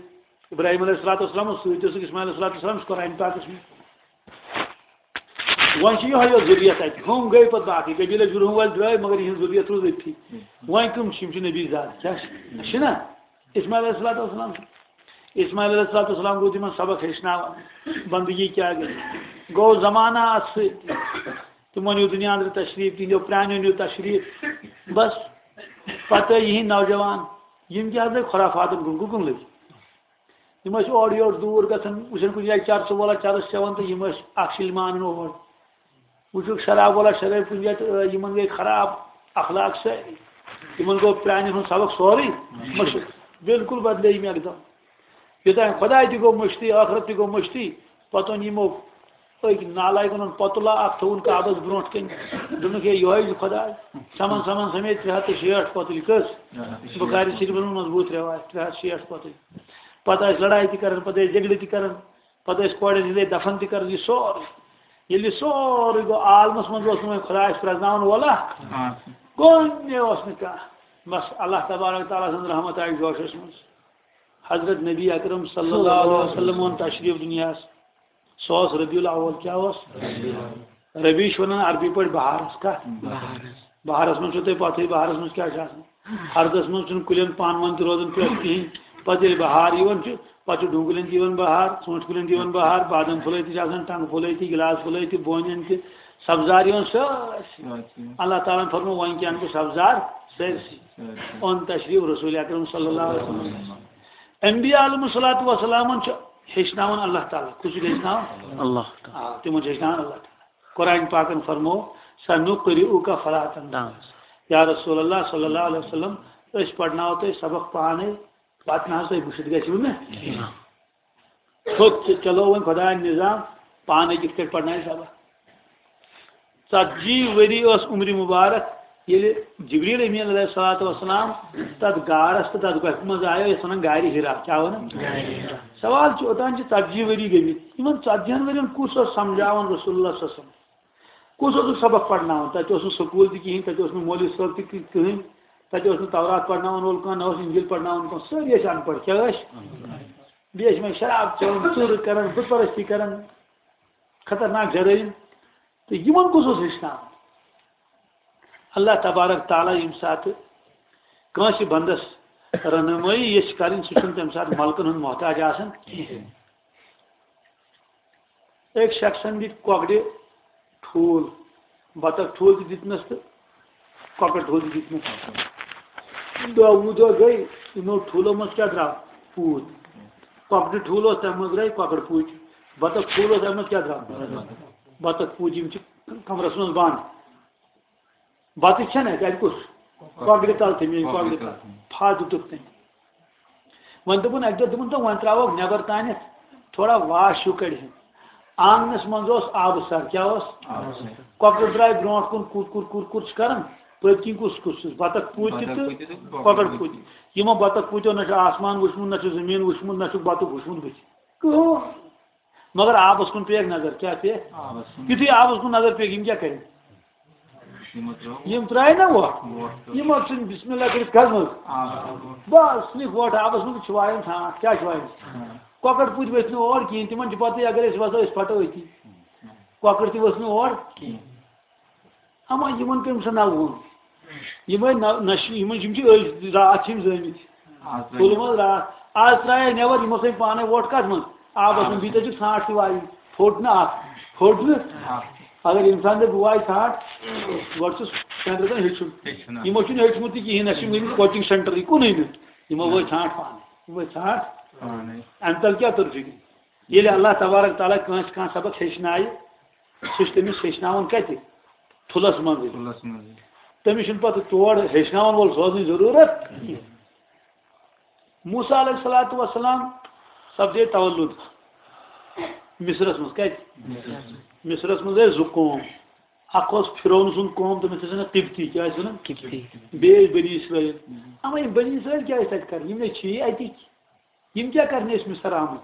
ابراہیم علیہ الصلوۃ والسلام اوس سۭتۍ، اوسُکھ اسماعیل علیہ الصلوۃ والسلام، سُہ قرآن پاکس منٛز۔ وۄنۍ چھِ یِہوٚے یوت ذُریت اَتہِ۔ ہُم گٔے پَتہٕ باقٕے، قبیٖلہٕ جُرہُم وٲلۍ درٛاے، مگر یِہِنٛز ذُریت روٗز أتھی۔ وۄنۍ کٕم چھِ؟ یِم چھِ نبی زاد۔ کیٛاہ چھِ؟ چھِنہ؟ اسماعیل علیہ الصلوۃ والسلام۔ اسماعیل علیہ الصلوۃ والسلام روٗد یِمَن سبق ہیٚچھناوان، بندگی کیٛاہ گٔے۔ گوٚو زمانہ اَتھ سۭتۍ۔ تِمو نیوٗ دُنیا أنٛدرٕ تشریٖف، تِہِنٛدیو پرٛانیو نیوٗ تشریٖف۔ بس، پَتہٕ یِہِنٛدۍ نوجوان، یِم کیٛاہ حظ لٔگۍ خُرافاتَن کُن، کُکُن لٔگۍ؟ یِم ٲسۍ اورٕ یورٕ دوٗر گژھان، وٕچھان کُنہِ جایہِ چرسہٕ وولا چرس چٮ۪وان تہٕ یِم ٲسۍ اکھ سِلمان اور۔ وٕچھُکھ شراب وولا شرٲبۍ کُنہِ جایہِ تہٕ، آ، یِمن گٔے خراب اخلاق سٲری۔ یِمن گوٚو پرٛانٮ۪ن ہُنٛد سبق سورُے مٔشِتھ۔ بالکل بدلے یِم یکدم۔ یوٚتام خۄداے تہِ گوٚو مٔشتٕے، ٲخرت تہِ گوٚو مٔشتٕے، پتہٕ اوٚن یِمو أکۍ نالایکن اوٚن پۄتُلہ اکھ تھوٚوُن کعبس برونٛٹھ کنہِ۔ دوٚپنکھ، "ہے، یِہوٚے چھُ خۄداے۔" ژھٮ۪من ژھٮ۪من سمیت ترٛےٚ ہتھ تہٕ شیٹھ پۄتُلۍ۔ کٔژ؟ بخاری شریفس منٛز مضبوٗط رٮ۪وایت، ترٛےٚ ہتھ شیٹھ پۄتُلۍ۔ پتہٕ ٲسۍ لڑایہِ تہِ کران، پتہٕ ٲسۍ جھگڑٕ تہِ کران، پتہٕ ٲسۍ کورٮ۪ن ہِنٛدے دفن تہِ کران، یہِ سورُے۔ ییٚلہِ یہِ سورُے گوٚو عالمس منٛز، اوس نہٕ وۄنۍ خۄدایس پرٛزناوُن وۄلہ۔ آ۔ کُنہِ اوس نہٕ کانٛہہ۔ بس اللہ تبارک تعالیٰ سٕنٛز رحمت آیہِ جوشس منٛز۔ حضرت نبی اکرم صلی اللہ علیہ وسلم اوٚن تشریٖف دُنیاہس۔ سُہ اوس ربیع الاول۔ کیٛاہ اوس؟ ربیع چھِ وَنان عربی پٲٹھۍ بہارس۔ کَتھ؟ بہارس۔ بہارس منٛز چھو تۄہہِ پَتہٕے، بہارس منٛز کیٛاہ چھُ آسان؟ ہردس منٛز چھُنہٕ کُلٮ۪ن پانہٕ ؤنۍ تہِ روزان پٮ۪ٹھ کِہیٖنۍ۔ پَتہٕ ییٚلہِ بہار یِوان چھُ، پَتہٕ چھُ ڈوٗنۍ کُلٮ۪ن تہِ یِوان بہار، ژوٗنٛٹھۍ کُلٮ۪ن تہِ یِوان بہار، بادام پھُلے تہِ چھِ آسان، ٹنٛگہٕ پھُلے تہِ، گِلاس پھُلے تہِ، بونٮ۪ن تہِ، سبزار یِوان سٲرسٕے۔ سٲرسٕے۔ اللہ تعالیٰ ہن فرموو، وۄنۍ کیٛاہ اَنہٕ بہٕ سبزار؟ سٲرسٕے۔ سٲرسٕے۔ اوٚن تشریف رسول اکرم صلی اللہ علیہ وسلم۔ انبیاء علیہم الصلوۃ والسلامن چھُ ہیٚچھناوان اللہ تعالیٰ۔ کُس چھُ ہیٚچھناوان؟ اللہ تعالیٰ۔ آ، تِمن چھُ ہیٚچھناوان اللہ تعالیٰ۔ قرآن پاکن فرموو، "سنقرئک فلا تنسیٰ۔" نعم۔ یا رسول اللہ صلی اللہ علیہ وسلم، أسۍ پرناوو تۄہہِ سبق پانے، پتہٕ نہ حظ تُہۍ وٕچھِتھ گژھِو نہٕ۔ نعم۔ تھوٚد تہٕ چلو وۄنۍ خۄدایَن نظام، پانَے کِتھ کٲٹھۍ پرنایہِ سبق۔ ژتجی ؤری ٲس عمرِ مبارک، ییٚلہِ جبریل امین علیہ الصلوۃ والسلام تتھ غارس تہٕ تتھ گۄپھِ منٛز آیو، یتھ ونان غارِ حرا۔ کیٛاہ ونان؟ غارِ حرا۔ سوال چھُ، اوٚتام چھِ ژتجی ؤری گٔمٕتۍ، یِمن ژتجی ہن ؤرین کُس اوس سمجھاوان رسول اللہ صلی اللہ علیہ وسلم؟ کُس اوس سبق پرناوان؟ تتہِ اوس نہٕ سکوٗل تہِ کِہینۍ، تتہِ اوس نہٕ مولوی صٲب تہِ کِہینۍ، تتہِ اوس نہٕ تورات پرناوان وول کانٛہہ، نہ اوس انجیل پرناوان کانٛہہ، سٲری ٲسۍ ان پڑھ۔ کیٛاہ ٲسۍ؟ بیٚیہِ ٲسۍ یِمے شراب چٮ۪وان، ژوٗرٕ کران، بُت پرستی کران، خطرناک جرٲیِم۔ تہٕ یِمن کُس اوس ہیٚچھناوان؟ اللہ تبارک تعالیٰ ییٚمہِ ساتہٕ کٲنٛسہِ بندس رہنمٲیی یژھِ کرٕنۍ، سُہ چھُنہٕ تَمہِ ساتہٕ ملکن ہُنٛد محتاج آسان کِہینۍ۔ أکۍ شخصن دِتۍ کۄکرِ ٹھوٗل، بطخ ٹھوٗل تہِ دِتنس تہٕ کۄکر ٹھوٗل تہِ دِتنس۔ دۄہ وُہ دۄہ گٔے، یِمو ٹھوٗلو منٛز کیٛاہ درٛاو؟ پوٗتۍ۔ کۄکرِ ٹھوٗل اوس، تَمہِ منٛز درٛاے کۄکر پوٗتۍ۔ بطخ ٹھوٗل اوس، تَمہِ منٛز کیٛاہ درٛاو؟ بطخ پوٗتۍ۔ یِم چھِ کمرس منٛز بنٛد۔ بتہٕ چھَنہٕ اَتہِ، اَتہِ کُس؟ کۄکرِ تل تھٲومٕتۍ، کۄکرِ تل۔ پھاہ دیُتُکھ تٔمۍ۔ وۄنۍ دوٚپُن، اَکہِ دۄہ دوٚپُن، "تہٕ وۄنۍ ترٛاوہوکھ نٮ۪بر تانٮ۪تھ، تھوڑا واش ہیوٗ کڑِ ہن۔" آنگنس منٛز اوس آبہٕ سر۔ کیٛاہ اوس؟ آبہٕ سر۔ کۄکر درٛاے برونٛٹھ کُن، کُر کُر کُر کُر چھِ کران۔ پٔتۍ کِنۍ کُس کُس چھُس؟ بطخ پوٗتۍ تہِ بطخ تہٕ پوٗتۍ تہِ تہٕ کۄکر کۄکر پوٗتۍ۔ یِمو بطخ پوٗتیو نہ چھُ آسمان وٕچھمُت، نہ چھُ زٔمیٖن وٕچھمُت، نہ چھُکھ بطخ وٕچھمُت بٕتھِ۔ کٕہٕنۍ۔ مگر آبس کُن پیٚیَکھ نظر۔ کیٛاہ پیٚیَکھ؟ آبس کُن۔ یُتھُے آبس کُن نظر پیٚیَکھ، یِم کیٛاہ کرن؟ یِمو ترٛٲو۔ یِم ترٛایہِ نا وۄٹھ؟ وۄٹھ ترٛٲو۔ یِمو ژھٕنۍ بسم اللہ کٔرِتھ کتھ منٛز؟ آبس کُن۔ بس، ژھٕنِکھ وۄٹھ آبس منٛز، چھِ وایان ژھانٛٹھ۔ کیٛاہ چھِ وایان؟ ہاں۔ کۄکر پوٗتۍ ؤتھۍ نہٕ اور کِہیٖنۍ، تِمن چھِ پتہٕے، اگر أسۍ وسو، أسۍ پھٹو أتی۔ کۄکر تہِ ؤژھ نہٕ اور کِہیٖنۍ۔ اما یِمن کٔمۍ سا نہ ووٚن؟ یِمے نہ، نہ چھِ، یِمن، یِم چھِ أزۍ راتھ چھِ یِم زٲمٕتۍ۔ آز ترٛایہِ۔ تُلمُت راتھ۔ آز ترٛایے نٮ۪بر، یِمو ژھٕنۍ پانے وۄٹھ کتھ منٛز؟ آبس منٛز۔ بیٚیہِ تہِ چھِ ژھانٛٹھ تہِ وایِنۍ۔ پھوٚٹ نہٕ اکھ۔ پھوٚٹ نہٕ۔ آ۔ اگر انسان دپہِ، "بہٕ وایہِ ژھانٛٹھ"، گۄڈٕ چھُس سینٹر تام ہیٚچھُن۔ ہیٚچھُن، آ۔ یِمو چھُنہٕ ہیٚچھمُتٕے کِہیٖنۍ، نہ چھِ یِم گٔمٕتۍ کوچنگ سینٹرٕے کُنُے نہٕ۔ یِمو وٲے ژھانٛٹھ پانے۔ یِم وٲے ژھانٛٹھ۔ پانے۔ امہِ تل کیٛاہ توٚر فِکرِ؟ ییٚلہِ اللہ تبارک تعالیٰ کٲنٛسہِ کانٛہہ سبق ہیٚچھنایہِ، سُہ چھُ تٔمِس ہیٚچھناوان کَتہِ؟ تھُلَس منٛزٕے۔ تھُلَس منٛزٕے۔ تٔمِس چھُنہٕ پَتہٕ تور ہیٚچھناوَن وول سوزنٕچ ضروٗرت کِہیٖنۍ۔ موسیٰ علیہ الصلوۃ والسلام سپدے تولُد مصرَس منٛز۔ کَتہِ؟ مصرَس منٛز۔ مصرَس منٛز ٲسۍ زٕ قوم۔ اَکھ اوس فرعون سُنٛد قوم، تٔمِس ٲسۍ وَنان قبطی۔ کیٛاہ ٲسۍ وَنان؟ قبطی۔ بیٚیہِ ٲسۍ بنی اسرائیل۔ اَما یِم بنی اسرائیل کیٛاہ ٲسۍ تَتہِ کَران؟ یِم نَے چھِ یی اَتِکۍ۔ یِم کیٛاہ کَرنہِ ٲسۍ مصر آمٕتۍ؟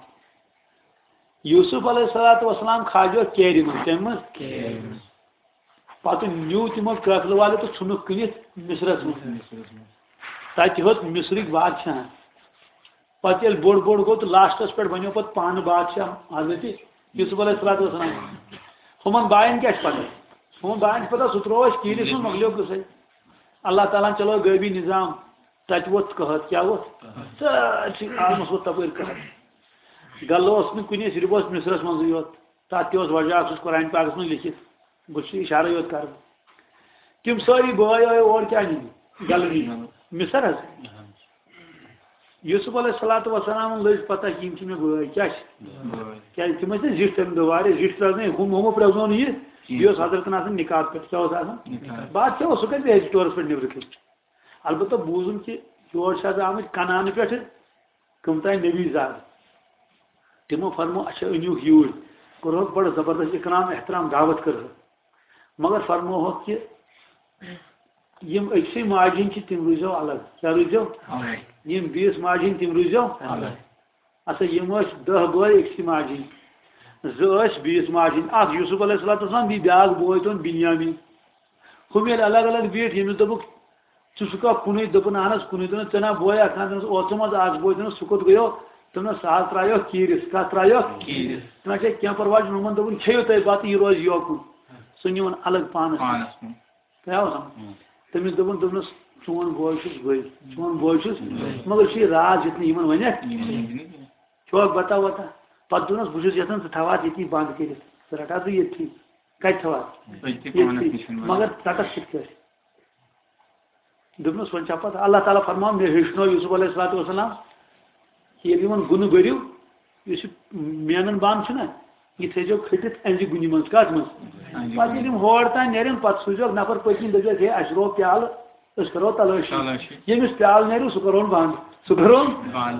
یوسف علیہ الصلوۃ والسلام کھاجو کیرِ منٛز۔ کَمہِ منٛز؟ کیرِ منٛز۔ پتہٕ نیوٗ تِمو قٲفلہٕ والٮ۪و تہٕ ژھُنُکھ کٕنِتھ مصرس منٛز۔ مصرس منٛز۔ تَتہِ ہیوٚت مصرٕکۍ بادشاہن۔ پتہٕ ییٚلہِ بوٚڑ بوٚڑ گوٚو تہٕ لاسٹس پٮ۪ٹھ بنیو پتہٕ پانہٕ بادشاہ حضرت یوسف علیہ الصلوۃ والسلام۔ ہُمن باین کیٛاہ چھِ پتہ؟ ہُمن باین چھِ پتہ، سُہ ترٛوو اَسہِ کیٖرِس منٛز، مۄکلیو قصے۔ اللہ تعالیٰ ہن چلٲو غٲبی نظام، تَتہِ ووٚتھ قحط۔ کیٛاہ ووٚتھ؟ سٲرسٕے عالمس ووٚتھ تپٲرۍ قحط۔ غلہٕ اوس نہٕ کُنے، صرف اوس مصرس منٛزٕے یوت۔ تَتھ تہِ اوس وجہ اکھ، سُہ اوس قرآن پاکس منٛز لیکھِتھ۔ بہٕ چھُس اِشارے یوت کران۔ تِم سٲری بٲے آے اور کیٛاہ نِنہِ؟ غلہٕ نِنہِ۔ مصر حظ۔ یوسف علیہ الصلوۃ والسلام لٔج پتہ کہِ یِم چھِ مےٚ بٲے۔ کیٛاہ چھِ؟ بٲے۔ کیٛازِ تِم ٲسۍ نہٕ زِٹھۍ تَمہِ دۄہ واریاہ، زِٹھۍ پرٛزنٲوۍ، ہُم، ہُمو پرٛزنوو نہٕ یہِ۔ یہِ اوس حضرتن آسان نکاح پٮ۪ٹھ۔ کیٛاہ اوس آسان؟ نکاح۔ بادشاہ اوس، سُہ کَتہِ بیٚہہِ ہیٚکہِ ٹورس پٮ۪ٹھ نیٚبرٕ کٔنۍ؟ البتہ بوٗزُم کہِ یور چھِ آز آمٕتۍ کنعانہٕ پٮ۪ٹھٕ کٕم تام نبی زاد۔ تِمو فرموو، "اچھا، أنِوکھ یوٗرۍ۔" کوٚرہوکھ بڑٕ زبردست اکرام، احترام، دعوت کٔرہوکھ۔ مگر فرمووہوکھ کہِ یِم أکسٕے ماجہِ ہٕنٛدۍ چھِ، تِم روٗززیو الگ۔ کیٛاہ روٗززیو؟ الگ۔ یِم بیٚیِس ماجہِ ہٕنٛدۍ، تِم روٗززیو الگ۔ اچھا، یِم ٲسۍ دَہ بٲے أکسٕے ماجہِ ہٕنٛدۍ۔ زٕ ٲسۍ بیٚیِس ماجہِ ہٕنٛدۍ۔ اکھ یوسف علیہ الصلوۃ والسلام، بیٚیہِ بیٛاکھ بوے تِمن بنیامین۔ ہُم ییٚلہِ الگ الگ بیٖٹھۍ، ییٚمِس دوٚپُکھ، "ژٕ چھُکھا کُنُے؟" دوٚپُن، "اہن حظ، کُنُے۔" دوٚپُن، "ژےٚ نا بوے اکھ اَنان اوترٕ منٛز اکھ بوے؟" دوٚپُن، "سُہ کوٚت گٔیو؟" دوٚپُن، "سُہ حظ ترٛایو کیٖرِس۔" کَتھ ترٛایو؟ کیٖرِس۔ دوٚپُن، "اچھا، کینٛہہ پرواے چھُنہٕ۔" ہُمن دوٚپُن، "کھیٚیِو تُہۍ بَتہٕ، یہِ روزِ یوکُن۔" سُہ نیوٗن الگ پانَس کُن۔ پانَس کُن۔ ترٛایو سَمجھ؟ تٔمِس دوٚپُن، دوٚپنَس، "چون بوے چھُس بٕے، چون بوے چھُس، مگر چھُ یہِ راز یُتھ نہٕ یِمن وَنٮ۪کھ۔" یِمن وَنٮ۪کھ۔ کھیوٚوکھ بَتہ وَتہ۔ پَتہٕ دوٚپنَس، "بہٕ چھُس یَژھان ژٕ تھاواتھ ییٚتی بنٛد کٔرِتھ، ژٕ رَٹاتھ ژٕ ییٚتھی۔" کَتہِ تھاوان؟ أتی پانَس نِش وَنان۔ مگر ژَٹَس کِتھ کٲٹھۍ؟ دوٚپنَس، وۄنۍ چھا پَتہٕ؟ اللہ تعالیٰ فرماوان، مےٚ ہیٚچھنو یوسف علیہ الصلوۃ والسلام، ییٚلہِ یِمَن گُنہٕ بٔرِو، یُس یہِ مینَن بانہٕ چھُنہ، یہِ تھٲیزیو کھٔٹِتھ أنٛزِ گُنہِ منٛز۔ کَتھ منٛز؟ أنٛزِ پَتہٕ ییٚلہِ یِم ہور تام نیرن، پَتہٕ سوٗزیوکھ نفر پٔتۍ کِنۍ، دٔپۍزیوکھ، ہے، اَسہِ روو پیالہٕ، أسۍ کَرو تلٲشی۔ تلٲشی۔ ییٚمِس پیالہٕ نیرِو، سُہ کَرون بنٛد۔ سُہ کَرون۔ بنٛد۔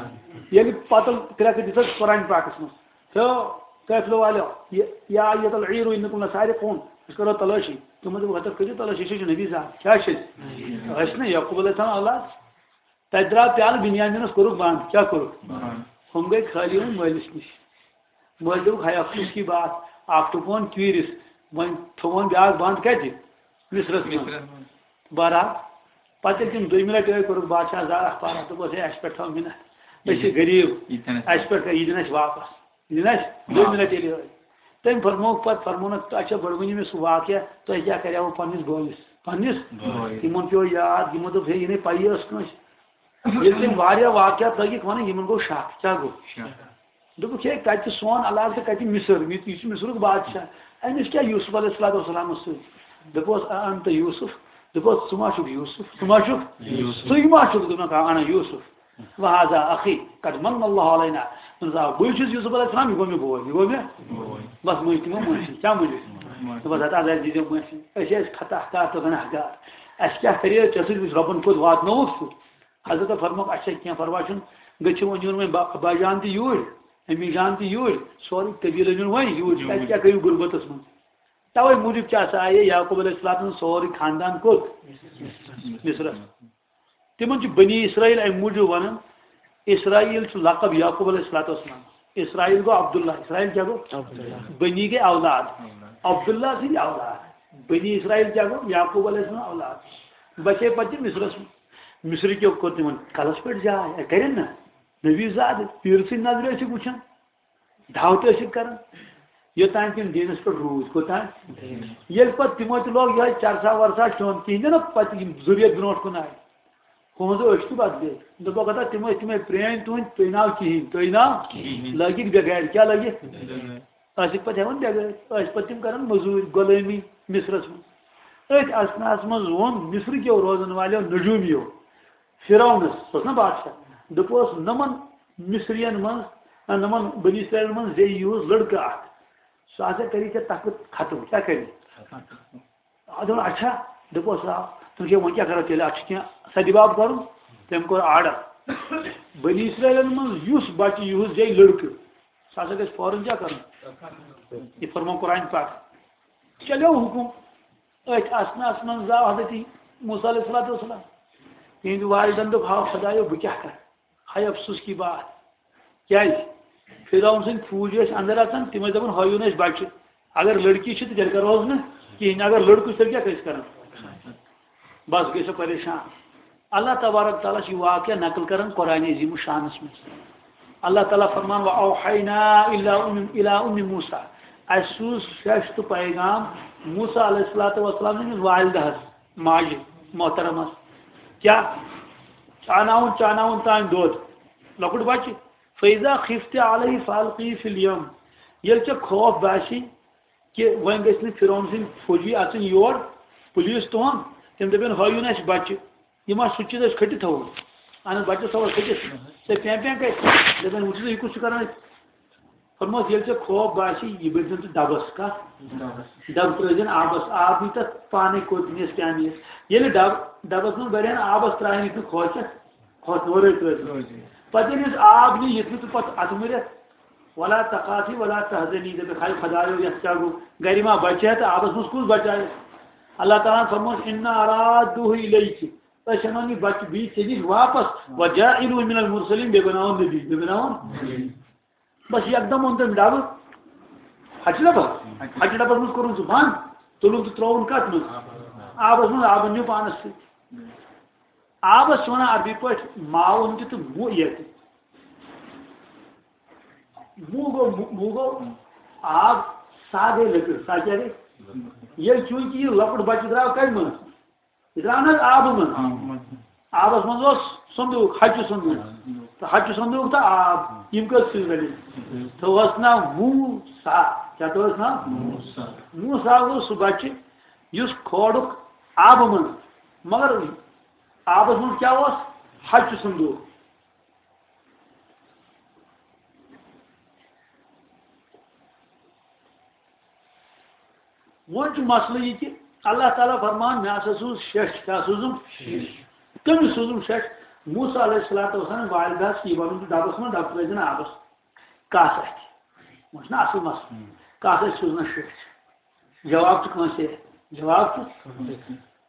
ییٚلہِ پَتہٕ کرٛٮ۪کہٕ دِژٕکھ قرآن پاکَس منٛز، تھو قٲفلہٕ والٮ۪و، یہِ، یا ایتل عیٖرو اِنکُم لسارقون، أسۍ کَرو تلٲشی۔ تِمو دوٚپ، ہَتہٕ کٔرِو تلٲشی، أسۍ چھِ نبی زاد۔ کیٛاہ چھِ أسۍ؟ أسۍ چھِنہ یعقوب علیہ السلام اولاد۔ تَتہِ درٛاو پیالہٕ، بِنیامِنَس کوٚرُکھ بنٛد۔ کیٛاہ کوٚرُکھ؟ بنٛد۔ ہُم گٔے خٲلی وۄنۍ مٲلِس نِش۔ مٲلۍ دوٚپُکھ، ہَے افسوٗس کی بات، اَکھ ٹُکون کیٖرِس، وۄنۍ تھوٚوُن بیٛاکھ بنٛد کَتہِ؟ مِصرَس منٛز۔ مِصرَس منٛز۔ بہرحال، پَتہٕ ییٚلہِ تِم دوٚیمہِ لَٹہِ ٲے، کوٚرُکھ بادشاہ زارَکھ پارہ، دوٚپُس، ہے، اَسہِ پٮ۪ٹھ تھاو مِنت، أسۍ چھِ یہِ دِن، غریٖب، یہِ دِن اَسہِ اَسہِ پٮ۪ٹھ کَر، یہِ دِن اَسہِ واپَس۔ یہِ دِن اَسہِ دوٚیمہِ لَٹہِ ییٚلہِ ٲے۔ تٔمۍ فرمووُکھ پَتہٕ، فرموونَکھ، تہٕ اچھا، گۄڈٕ ؤنِو مےٚ سُہ واقعہ، تۄہہِ کیٛاہ کَریوٕ پَنٕنِس بٲیِس؟ پَنٕنِس؟ بٲیِس۔ تِمَن پیوٚو یاد، یِمو دوٚپ، ہے، یہِ نَے پَیی ٲس کٲنٛسہِ۔ ییٚلہِ تٔمۍ واریاہ واقعات لٲگِکھ وَنٕنۍ، یِمَن گوٚو شَک۔ کیٛاہ گوٚو؟ شَک۔ دوٚپُکھ، ہے، کَتہِ سون علاقہٕ تہٕ کَتہِ مِصر؟ یہِ، یہِ چھُ مِصرُک بادشاہ۔ أمِس کیٛاہ یوسف علیہ الصلوۃ والسلامَس سۭتۍ؟ دوٚپُس، اَ-، اَنتَ یوسف؟ دوٚپُس، ژٕ ما چھُکھ یوسف؟ ژٕ ما چھُکھ؟ یوسف۔ ژٕے ما چھُکھ؟ دوٚپنَکھ، آ، اَنا یوسف۔ وَهَذَا أَخِي قَدْ مَنَّ اللَّهُ عَلَيْنَا۔ دوٚپُن، آ، بٕے چھُس یوسف علیہ السلام، یہِ گوٚو مےٚ بوے، یہِ گوٚو مےٚ۔ بوے۔ بَس مٔنٛزۍ تِمو مٲفی۔ کیٛاہ مٔنٛزۍ؟ مٲفی۔ دوٚپُس، ہتا، اَسہِ دیٖزیو مٲفی۔ أسۍ ٲسۍ خطا کار تہٕ گۄناہ گار۔ اَسہِ کیٛاہ کَرے؟ ژےٚ سۭتۍ وٕچھ رۄبَن کوٚت واتنووُکھ ژٕ۔ حضرت فرمووُکھ، اچھا، کینٛہہ پَرواے چھُنہٕ، گٔژھِو وۄنۍ یُن وۄنۍ با-، باجان تہِ یوٗرۍ، امی جان تہِ یوٗرۍ، سورُے قبیٖلہٕ نیُن وۄنۍ یوٗرۍ۔ یوٗرۍ۔ تَتہِ کیٛاہ کٔرِو غُربتَس منٛز؟ تَوَے موٗجوٗب چھِ آسان، آیے یعقوب علیہ السلام سُنٛد سورُے خاندان کوٚت؟ مِصرَس۔ تِمَن چھُ بنی اسرائیل اَمہِ موٗجوٗب وَنان، اسرائیل چھُ لقب یعقوب علیہ الصلوۃ والسلام۔ اسرائیل گوٚو عبداللہ، اسرائیل کیٛاہ گوٚو؟ عبداللہ۔ بنی گٔے اولاد۔ اولاد۔ عبداللہ سٕنٛدۍ اولاد۔ بنی اسرائیل کیٛاہ گوٚو؟ یعقوب علیہ السلام اولاد۔ بَچے پَتہٕ تِم مِصرَس منٛز۔ مِصرٕکیو کوٚر تِمَن کَلَس پٮ۪ٹھ جاے، اَتہِ کَرن نہ۔ نبی زاد، پیٖرٕ سٕنٛدۍ نظرِ ٲسِکھ وٕچھان، دعوت ٲسِکھ کران، یوٚتام تِم دیٖنَس پٮ۪ٹھ روٗدۍ۔ کوٚتام؟ ییٚلہِ پَتہٕ تِمو تہِ لوگ یِہوٚے چرسا ورسا کھیوٚن، تِہِنٛدِ نہ پَتہٕ یِم ذُریت برونٛٹھ کُن آے، ہُہُنٛد أچھ تہِ بدلے۔ دوٚپُکھ، ہتا تِم ٲسۍ تِمَے پرٛٲنۍ تُہٕنٛدۍ، تُہۍ ناو کِہیٖنۍ، تُہۍ ناو کِہیٖنۍ۔ لٲگِکھ بٮ۪گارِ۔ کیٛاہ لٲگِکھ؟ بٮ۪گارِ۔ ٲسِکھ پَتہٕ ہٮ۪وان بٮ۪گٲرۍ، ٲسۍ پَتہٕ تِم کران مٔزوٗرۍ، غلٲمی مِصرَس منٛز۔ أتھۍ اثناہَس منٛز ووٚن مِصرٕکیو روزَن والٮ۪و نجوٗمیو، فرعونس، سُہ اوس نا بادشاہ، دوٚپُس، نمن مصرین منٛز، نہ، نمن بنی اسرائیل منٛز زیٚیہِ یوٗز لڑکہٕ اکھ، سُہ ہسا کری ژےٚ تخت ختم۔ کیٛاہ کری؟ آ، دوٚپُن، اچھا۔ دوٚپُس، آ۔ تِم چھِ، وۄنۍ کیٛاہ کرو تیٚلہِ؟ اتھ چھِ کینٛہہ سدِ باب کرُن۔ تٔمۍ کوٚر آرڈر، بنی اسرائیلن منٛز یُس بچہِ یوٗز زیٚیہِ لڑکہٕ، سُہ ہسا گژھِ فوراً کیٛاہ کرُن؟ یہِ فرموو قرآن پاک۔ چلیو حُکُم۔ أتھۍ اثناہس منٛز زاو حضرت موسیٰ علیہ الصلوۃ والسلام۔ تِہنٛدِ والدن دوٚپ، ہاو خدایو، بہٕ کیٛاہ کرٕ؟ ہاے افسوس کی بات۔ کیٛازِ؟ فرعون سٕنٛدۍ فوج ٲسۍ اندر اژان، تِم ٲسۍ دپان، ہٲیِو نہٕ اَسہِ بچہِ۔ اگر لڑکی چھِ، تہٕ تیٚلہِ کرہوس نہٕ کِہیٖنۍ۔ اگر لڑکہٕ چھُ، تیٚلہِ کیٛاہ کٔرۍ أسۍ کران؟ بس گٔے سۄ پریشان۔ اللہ تبارک تعالیٰ چھُ یہِ واقعہ نقل کران قرآن عظیم الشانس منٛز۔ اللہ تعالیٰ فرمان، وَأَوْحَيْنَا إِلَىٰ أُمِّ، إِلَىٰ أُمِّ مُوسَىٰ۔ اَسہِ سوٗز فِرِشتہٕ پیغام موسیٰ علیہ الصلوۃ والسلام سٕنٛدِس والدہس، ماجہِ محترمس۔ کیٛاہ؟ چاناوُن، چاناوُن تام دۄد۔ لۄکُٹ بچہِ۔ فَإِذَا خِفْتِ عَلَيْهِ فَأَلْقِيهِ فِي الْيَمِّ۔ ییٚلہِ ژےٚ خوف باسی کہِ وۄنۍ گژھِ نہٕ فرعون سٕنٛدۍ فوجی اژٕنۍ یور، پُلیٖس تُہُنٛد، تِم دَپن، ہٲیِو نہٕ اَسہِ بچہِ۔ یہِ ما سُہ چیٖز أسۍ کھٔٹِتھ تھاوو؟ اَہن حظ، بچس تھاوو أسۍ کھٔٹِتھ۔ ژےٚ پٮ۪ن پٮ۪ن کَتہِ؟ دَپن، وٕچھِو سا، یہِ کُس چھُ کران اَتہِ؟ فرموس، ییٚلہِ ژےٚ خوف باسی، یہِ بٔرۍزٮ۪ن ژٕ ڈبس۔ کَتھ؟ ڈبس۔ ڈبہٕ ترٛٲوزٮ۪ن آبس، آب نی تَتھ پانے کوٚت نِیَس کیٛاہ نِیَس۔ ییٚلہِ ڈب-، ڈبس منٛز بَرِہَن آبس ترٛاوٕنۍ، یُتھ نہٕ کھوژٮ۪کھ، کھوژنہٕ ورٲے ترٛٲوزٮ۪ن۔ ترٛٲوزٮ۪ن۔ پتہٕ ییٚلہِ أسۍ آب نی، یُتھ نہٕ ژٕ پتہٕ اَتھٕ مُرِتھ، ولا تخافی ولا تحزنی، دَپٮ۪کھ، ہاے خدایو، یَتھ کیٛاہ گوٚو؟ گرِ ما بچہِ ہا تہٕ آبس منٛز کُس بچایہِ؟ اللہ تعالیٰ ہن فرمووُس، انا رادوہ الیک، أسۍ اَنون یہِ بچہِ بیٚیہِ ژےٚ نِش واپس، وجاعلہ من المرسلین، بیٚیہِ بناوون نبی، بیٚیہِ بناوون۔ بس یکدم اوٚن تٔمۍ ڈبہٕ، ہچہِ ڈبس، ہچہِ ڈبس منٛز کوٚرُن سُہ بنٛد، تُلُن تہٕ ترٛووُن کتھ منٛز؟ آبس منٛز، آبن نیوٗ پانس سۭتۍ۔ آبس چھِ ونان عربی پٲٹھۍ ماء تہِ تہٕ موء تہِ۔ موء گوٚو، موء گوٚو آب، سا گٔے لٔکٕر، سا کیٛاہ گٔے؟ ییٚلہِ چوٗنٛکہِ یہِ لۄکُٹ بچہٕ درٛاو کتہِ منٛز؟ یہِ درٛاو نہٕ حظ آبہٕ منٛز؟ آبہٕ منٛز۔ آبس منٛز اوس صندوٗق، ہچہِ صندوٗق۔ تہٕ حَچُ صندوٗق تہٕ آب، یِم کٔژ چیٖز رٔلِتھ؟ تھوٚوہَس ناو موسیٰ۔ کیٛاہ تھوٚوہَس ناو؟ موسیٰ۔ موسیٰ گوٚو سُہ بَچہِ یُس کھولُکھ آبہٕ منٛز، مگر آبَس منٛز کیٛاہ اوس؟ حَچُ صندوٗق۔ وۄنۍ چھُ مسلہٕ یہِ کہِ اللہ تعالیٰ فرمان، مےٚ ہسا سوٗز شیٚچھ۔ کیٛاہ سوٗزُم؟ شیٚچھ۔ کٔمِس سوٗزُم شیٚچھ؟ موسیٰ علیہ الصلوۃ والسلام والدہس یہِ وَنُن تہٕ ڈَبَس منٛز، ڈَبہٕ ترٲوزِ نہٕ آبَس۔ کَس اَتھِ؟ وۄنۍ چھُنہ اَصٕل مسلہٕ۔ کَس اَتھِ سوٗزنَس شیٚچھ؟ جواب چھُ کٲنٛسے۔ جواب چھُ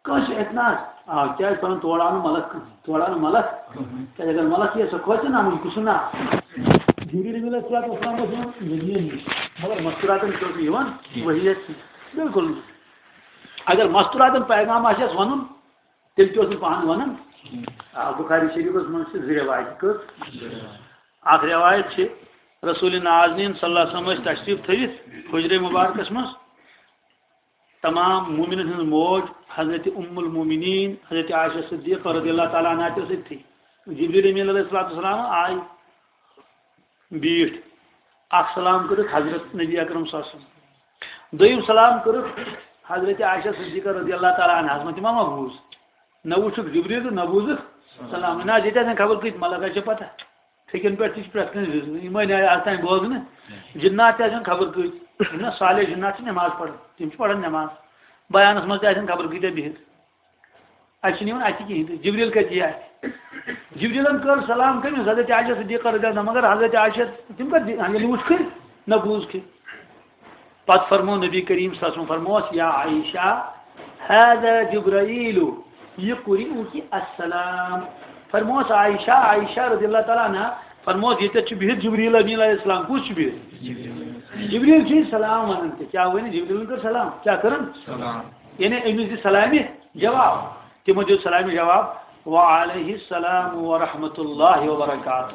کٲنٛسہِ ہیٚکہِ نہ آز، آ، کیٛازِ پَنُن تورٕ آو نہٕ ملک کٕہٕنۍ، تورٕ آو نہٕ ملک۔ کیٛازِ اگر ملک یی، سۄ کھوژِ نہ، اَمُن کُس چھُ ناو؟ جبریل امین علیہ الصلوۃ والسلام اوس یِوان نبیَن نِش، مگر مستوراتن چھُ اوس نہٕ یِوان وحی یَس۔ بالکل نہٕ۔ اگر مستوراتن پیغام آسہِ ہَس وَنُن، تیٚلہِ تہِ اوس نہٕ پانہٕ وَنان۔ آ، بخاری شریفس منٛز چھِ زٕ رِوایتہٕ۔ کٔژ؟ اکھ رِوایت چھِ، رسول نازنین صلی اللہ علیہ وسلم ٲسۍ تشریف تھٲوِتھ حجرے مبارکس منٛز۔ تمام مومنن ہٕنٛز موج حضرت ام المومنین حضرت عائشہ صدیقہ رضی اللہ تعالیٰ عنہا تہِ ٲس أتھی۔ جبریل امین علیہ الصلوۃ والسلام آے، بیٖٹھ، اکھ سلام کٔرِتھ حضرت نبی اکرم صلی اللہ علیہ وسلم۔ دوٚیِم سلام کٔرِتھ حضرت عائشہ صدیقہ رضی اللہ تعالیٰ عنہاس۔ وۄنۍ تِمو ما بوٗز؟ نہ وٕچھُکھ جبریل تہٕ نہ بوٗزُکھ سلام۔ نہ حظ، ییٚتہِ آسن خبر کۭتۍ ملک، اَسہِ چھےٚ پتہ۔ فِکرِ پٮ۪ٹھ تہِ چھِ پرٛٮ۪تھ کٲنٛسہِ وِزِ یِمَے نیرِ آز تام بوزنہٕ۔ جِنات تہِ آسن خبر کۭتۍ۔ یِم نا صالح جِنات چھِ نٮ۪ماز پَران، تِم چھِ پَران نٮ۪ماز۔ بیانَس منٛز تہِ آسن خبر کۭتیٛاہ بِہِتھ۔ اَسہِ چھِنہٕ یِوان اَتھِ کِہیٖنۍ تہِ۔ جِبریٖل کَتہِ یِیہِ اَتھِ؟ جِبریٖلَن کٔر سلام کٔمِس؟ حضرت عائشہ صدیقہ رضی اللہ عنہا، مگر حضرت عائشہ تِم کَتہِ دِ-، ییٚلہِ وٕچھ کٔرۍ، نہ بوٗز کٔرۍ۔ پتہٕ فرموو نبی کریم صلی اللہ علیہ وسلم، فرمووس، یا عائشہ، هذا جبرائیل یقرئک السلام۔ فرمووس عائشہ، عائشہ رضی اللہ تعالیٰ عنہا، فرمووس، ییٚتٮ۪تھ چھُ بِہِتھ جبریل امین علیہ السلام۔ کُس چھُ بِہِتھ؟ جبریل چھُ یہِ سلام وَنان تہِ۔ کیٛاہ وَنہِ؟ جبریلن کٔر سلام۔ کیٛاہ کٔرٕن؟ سلام۔ یعنی أمِس دِ سلامہِ جواب۔ تِمو دیُت سلامہِ جواب، وعلیہ السلام ورحمۃ اللہ وبرکاتہ۔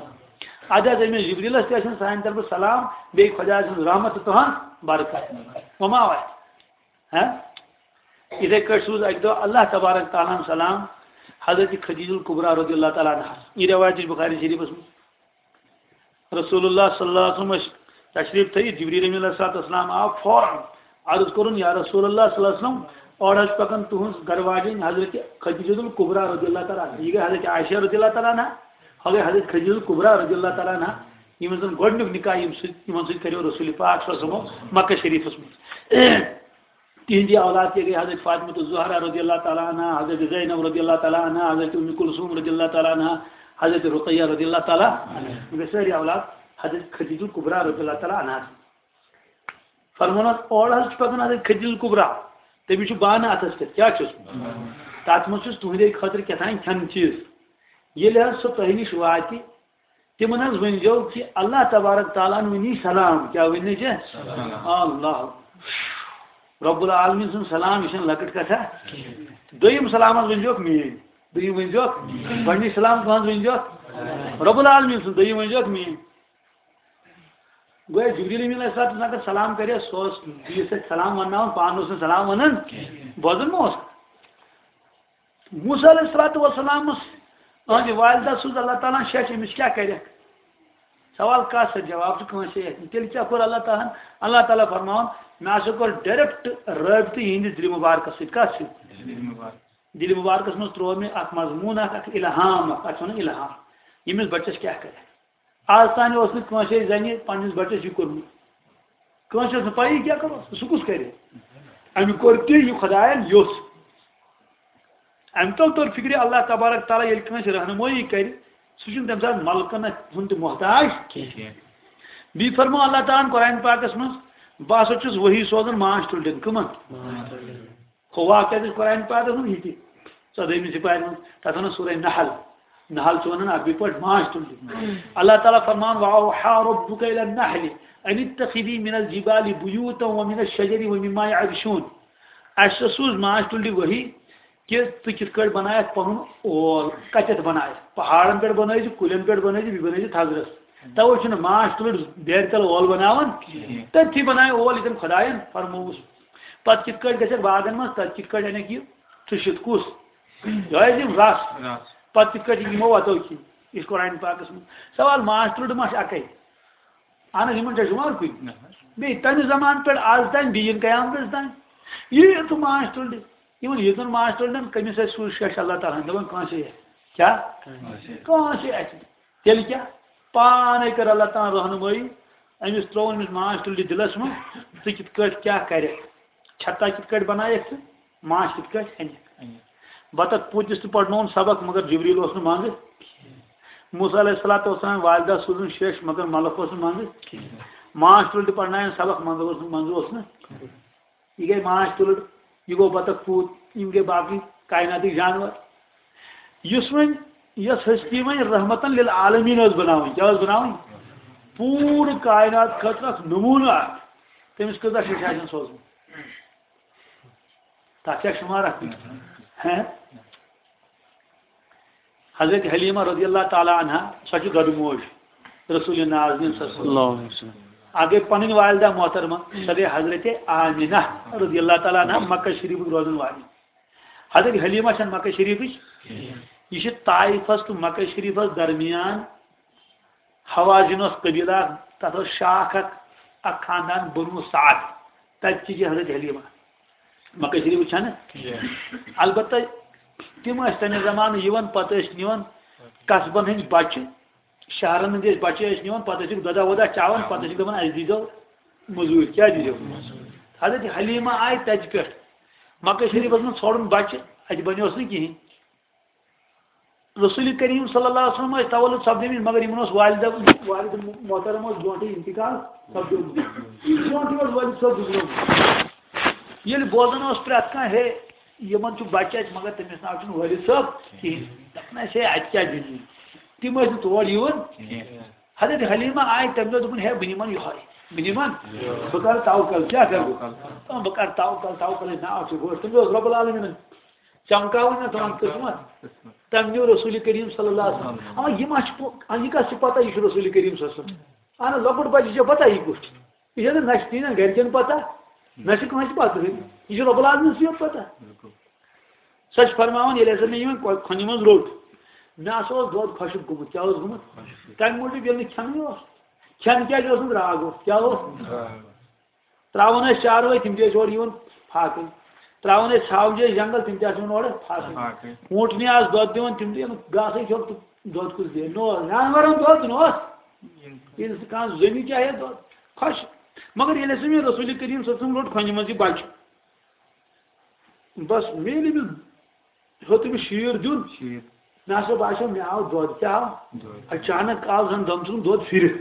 اَدٕ حظ أمِس جبریلس تہِ ٲسِن سانہِ طرفہٕ سلام، بیٚیہِ خۄداے سٕنٛز رحمت تہٕ تُہنٛز برکت۔ وما واتہِ۔ ہاں؟ یِتھَے کٲٹھۍ سوٗز اَکہِ دۄہ اللہ تبارک تعالیٰ ہن سلام حضرت خدیجہ الکبریٰ رضی اللہ تعالیٰ عنہَس۔ یہِ رِوایت تہِ چھِ بخاری شریٖفَس منٛز۔ رسول اللہ صلی اللہ علیہ وسلم ٲسۍ تشریٖف تھٲیِتھ، جبریل امین علیہ الصلوۃ والسلام آو فوراً۔ عرض کوٚرُن، یا رسول اللہ صلی اللہ علیہ وسلم، اورٕ حظ چھِ پَکان تُہٕنٛز گرٕواجِنۍ حضرت خدیجہ الکبریٰ رضی اللہ تعالیٰ عنہا۔ یہِ گٔے حضرت عائشہ رضی اللہ تعالیٰ عنہا، ہۄ گٔے حضرت خدیجہ الکبریٰ رضی اللہ تعالیٰ عنہا، یِم زَن گۄڈٕنیُک نکاح ییٚمہِ سۭتۍ، یِمَن سۭتۍ کَریو رسول پاک صلی اللہ علیہ وسلم مکہ شریٖفَس منٛز۔ تِہنٛدی اولاد تہِ گٔے حضرت فاطمہ الزہرا رضی اللہ تعالیٰ عنہا، حضرت زینب رضی اللہ تعالیٰ عنہا، حضرت ام کلثوم رضی اللہ تعالیٰ عنہا، حضرت رقیہ رضی اللہ تعالیٰ عنہا۔ یِم گٔے سٲری اولاد حضرت خدیجہ الکبریٰ رضی اللہ تعالیٰ عنہا۔ فرمووُن حظ، اورٕ حظ چھُ پَکان حضرت خدیجہ الکبریٰ، تٔمِس چھُ بانہٕ اَتھَس پٮ۪ٹھ۔ کیٛاہ چھُس؟ تَتھ منٛز چھُس تُہنٛدے خٲطرٕ کیٛاہ تام کھٮ۪نہٕ چیٖز۔ ییٚلہِ حظ سُہ تۄہہِ نِش واتہِ، تِمن حظ ؤنۍزیو کہِ اللہ تبارک تعالیٰ ہن ؤنی سلام۔ کیٛاہ ؤنۍ نہٕ ژےٚ؟ سلام۔ اللہ۔ رب العالمین سُنٛد سلام، یہِ چھَنہٕ لۄکٕٹ کتھا۔ دوٚیِم سلام حظ ؤنۍزیوکھ میٲنۍ۔ دوٚیِم ؤنۍزیوکھ۔ گۄڈٕنِچ سلام کٕہٕنٛز ؤنۍزیوکھ؟ رب العالمین سُنٛد۔ دوٚیِم ؤنۍزیوکھ میٲنۍ۔ گویا جبریل امین علیہ السلام اگر سلام کرِ، سُہ اوس بیٚیِس سۭتۍ سلام ونناوان، پانہٕ اوس نہٕ سلام ونان۔ بوزان ما اوس؟ موسیٰ علیہ الصلوۃ والسلامس أہنٛدِ والدہ سوٗز اللہ تعالیٰ ہن شیٚچھ، أمِس کیٛاہ کرٮ۪کھ؟ سوال کَس سۭتۍ؟ جواب چھُ کٲنٛسے اَتھِ۔ تیٚلہِ کیٛاہ کوٚر اللہ تعالیٰ ہن؟ اللہ تعالیٰ فرماوان، مےٚ ہسا کوٚر direct رٲبطہٕ یِہنٛدِس دِلہِ مُبارکس سۭتۍ۔ کَس سۭتۍ؟ دِلہِ مُبارکس منٛز ترٛوو مےٚ اکھ مضموٗن اکھ، اکھ الہام اکھ، اَتھ چھِ وَنان الہام، ییٚمِس بَچَس کیٛاہ کرِ۔ آز تام اوس نہٕ کٲنٛسے زَنہِ پنٛنِس بَچَس یہِ کوٚرمُت۔ کٲنٛسہِ ٲس نہٕ پَیی کیٛاہ کَرو، سُہ کُس کَرِ؟ أمۍ کوٚر تہِ یہِ خۄدایَن یوٚژھ۔ أمۍ تَل توٚر فِکرِ، اللہ تبارک تعالیٰ ییٚلہِ کٲنٛسہِ رہنمٲیی کَرِ، سُہ چھُنہٕ تَمہِ ساتہٕ مَلکَن ہُنٛد تہِ محتاج کینٛہہ۔ بیٚیہِ فرموو اللہ تعالیٰ ہَن قرآن پاکَس منٛز، بہٕ ہسا چھُس وحی سوزان ماچھ تُلرٮ۪ن۔ کٕمَن؟ ہُہ واقعہ تہِ چھُ قرآن پاکَس منٛز یہِ تہِ، ژۄدٲہمہِ سپارِ منٛز، تَتھ وَنان سورہ نحل۔ نحل چھُ وَنان عربی پٲٹھۍ ماچھ تُلرِ۔ اللہ تعالیٰ فرمان، وَأَوْحَى رَبُّكَ إِلَى النَّحْلِ أَنِ اتَّخِذِي مِنَ الْجِبَالِ بُيُوتًا وَمِنَ الشَّجَرِ وَمِمَّا يَعْرُشُونَ۔ اَسہِ سوٗز ماچھ تُلرِ وحی کہِ ژٕ کِتھ کٲٹھۍ بَنایَکھ پَنُن اول، کَتٮ۪تھ بَنایَکھ، پہاڑَن پٮ۪ٹھ بَنٲوزِ، کُلٮ۪ن پٮ۪ٹھ بَنٲوزِ، بیٚیہِ بَنٲوزِ تھزرَس۔ تَوَے چھُنہٕ ماچھ تُلٕر بیرِ تَل اول بَناوان۔ تٔتھی بَنایہِ اول ییٚتٮ۪ن خۄدایَن فرمووُس۔ پتہٕ کِتھ کٲٹھۍ گژھکھ باغن منٛز، تتہِ کِتھ کٲٹھۍ انکھ یہِ ٹھُشِتھ؟ کُس؟ یہِ آسہِ یِم رس۔ رس۔ پتہٕ کِتھ کٲٹھۍ یِمو وتو کِنۍ؟ یہِ چھُ قرآن پاکس منٛز۔ سوال، ماچھ تُلرِ ما چھِ اَکٕے؟ اہن حظ، یِمن چھا شُمار کُنہِ؟ نہ حظ۔ بیٚیہِ تَمہِ زمانہٕ پٮ۪ٹھ آز تام، بیٚیہِ یِن قیامتس تام۔ یہِ تہِ ماچھ تُلرِ۔ یِمن ییٖژن ماچھ تُلرٮ۪ن، کٔمِس آسہِ سُے شیش اللہ تعالیٰ ہن دَپان، کٲنٛسے آسہِ۔ کیٛاہ؟ کٲنٛسے۔ کٲنٛسے آسہِ۔ تیٚلہِ کیٛاہ؟ پانے کٔر اللہ تعالیٰ ہن رہنمٲیی، أمِس ترٛوو أمِس ماچھ تُلرِ دِلس منٛز، ژٕ کِتھ کٲٹھۍ کیٛاہ کرکھ؟ چھتا کِتھ کٲٹھۍ بنایکھ ژٕ؟ ماچھ کِتھ کٲٹھۍ اَنہِ؟ اَنہِ۔ بطخ پوٗتِس تہِ پرنووُن سبق، مگر جبریل اوس نہٕ منٛزٕ۔ موسیٰ علیہ الصلوۃ والسلام والدہ سوٗزُن شیش، مگر ملک اوس نہٕ منٛزٕ۔ ماچھ تُلرِ تہِ پرنایَن سبق، مگر اوس نہٕ، منٛزٕ اوس نہٕ۔ یہِ گٔے ماچھ تُلٕر، یہِ گوٚو بطخ پوٗت، یِم گٔے باقٕے کائناتٕکۍ جانور۔ یُس وۄنۍ، یۄس ہستی وۄنۍ رحمتن للعالمین ٲس بناوٕنۍ، کیٛاہ ٲس بناوٕنۍ؟ پوٗرٕ کائنات خٲطرٕ اکھ نموٗنہٕ اکھ۔ تٔمِس کۭژاہ شیٚچھ آسن سوزمٕژ؟ تَتھ چھا شُمار اَتھ منٛز؟ ہہ؟ حضرت حلیمہ رضی اللہ تعالیٰ عنہا، سۄ چھِ دۄدٕ موج رسول نازنین صلی اللہ علیہ وسلم۔ اللہ علیہ وسلم۔ اَکھ گٔے پنٕنۍ والدہ محترمہ، سۄ گٔے حضرت آمنہ رضی اللہ تعالیٰ عنہا، مکہ شریفٕچ روزن والی۔ حضرت حلیمہ چھَنہٕ مکہ شریفٕچ، یہِ چھِ طائفس تہٕ مکہ شریفس درمیان۔ حوازن اوس قبیلہ اکھ، تتھ اوس شاخ اکھ، اکھ خاندان بنو سعد۔ تتہِ چہِ چھِ حضرت حلیمہ۔ مکہ شریف چھنہٕ؟ جی۔ البتہ تِم ٲسۍ تمہِ زمانہٕ یِوان، پتہٕ ٲسۍ نِوان قصبن ہٕنٛدۍ بچہِ، شہرن ہٕنٛدۍ ٲسۍ بچہِ ٲسۍ نِوان، پتہٕ ٲسِکھ دۄدا وۄدا چاوان، پتہٕ ٲسِکھ دپان، اسہِ دیٖزیو مٔزوٗرۍ، کیٛاہ دیٖزیو؟ حضرت حلیمہ آیہِ تتہِ پٮ۪ٹھ۔ مکہ شریفس منٛز ژھانڈُن بچہِ، اتہِ بنیوس نہٕ کِہینۍ۔ رسول کریم صلی اللہ علیہ وسلم ٲسۍ تولد سپدیمٕتۍ، مگر یِمن اوس والدہ، والد محترم اوس برونٹھٕے انتقال سپدیومُت۔ برونٹھٕے اوس والد صٲب گُزریومُت۔ ییٚلہِ بوزان اوس پرٛٮ۪تھ کانٛہہ، ہے، یِمن چھُ بچہِ اَتہِ، مگر تٔمِس ناو چھُنہٕ والد صٲب کِہینۍ۔ دَپان ٲسۍ، ہے، اَتہِ کیٛاہ دٔلیٖل؟ تِم ٲسۍ نہٕ تور یِوان۔ حضرت حلیمہ آیہِ تَمہِ دۄہ، دوٚپُن، ہے، بہٕ نِمن یِہوے، بہٕ نِمن، بہٕ کرٕ توکل، کیٛاہ کرٕ بہٕ؟ بہٕ کرٕ توکل، توکل، ہے، ناو چھُ گوٚو۔ تٔمِس اوس رۄب العالمیٖنن چمکاوٕنۍ نا تُہُنٛد قٕسمت۔ تَمہِ نیوٗ رسول کریم صلی اللہ علیہ وسلم۔ اَما یہِ ما چھُ پو-، اَما یہِ کَس چھِ پَتہ یہِ چھُ رسول کریم صلی اللہ علیہ وسلم؟ اَہَن حظ، لۄکُٹ بَچہِ چھِ پَتہ یہِ کُس چھُ۔ یہِ چھَنہٕ نہ چھِ تِہِنٛدٮ۪ن گَرِکٮ۪ن پَتہ، نہ چھِ کٲنٛسہِ پَتہ۔ یہِ چھُ رۄب العالمیٖنَسٕے یوت پَتہ۔ سۄ چھِ فرماوان، ییٚلہِ ہسا مےٚ یِمَن کۄ-، کھۄنہِ منٛز روٚٹ، مےٚ ہسا اوس دۄد خۄشٕک گوٚمُت۔ کیٛاہ اوس گوٚمُت؟ تَمہِ موٗجوٗب ییٚلہِ نہٕ کھٮ۪نٕے اوس۔ کھٮ۪ن کیٛازِ اوس نہٕ؟ درٛاگ اوس۔ کیٛاہ اوس؟ ترٛاوان ٲسۍ چاروٲے، تِم تہِ ٲسۍ اورٕ یِوان فاقٕے۔ ترٛاوان ٲسۍ ژھاوجہِ ٲسۍ جنگل، تِم تہِ آسہٕ یِوان اورٕ فاقٕے۔ فاقٕے۔ اوٗنٛٹنہِ آسہٕ دۄد دِوان، تِم تہِ یِم گاسَے کھیوٚو تہٕ دۄد کُس دِیہِ؟ نوٚو جانوَرَن دۄد نوٚو۔ ییٚلہِ سُہ کانٛہہ زٔنی چاہے دۄد، خۄش۔ مگر ییٚلہِ ہسا مےٚ رسول کریم صلی اللہ علیہ وسلم روٚٹ کھۄنہِ منٛز یہِ بچہِ، بس مےٚ ییٚلہِ أمِس ہیوٚت أمِس شیٖر دیُن، شیٖر۔ مےٚ ہسا باسیو مےٚ آو دۄد، کیٛاہ آو؟ دۄد۔ اچانک آو زن دم ژھُن دۄد پھِرِتھ۔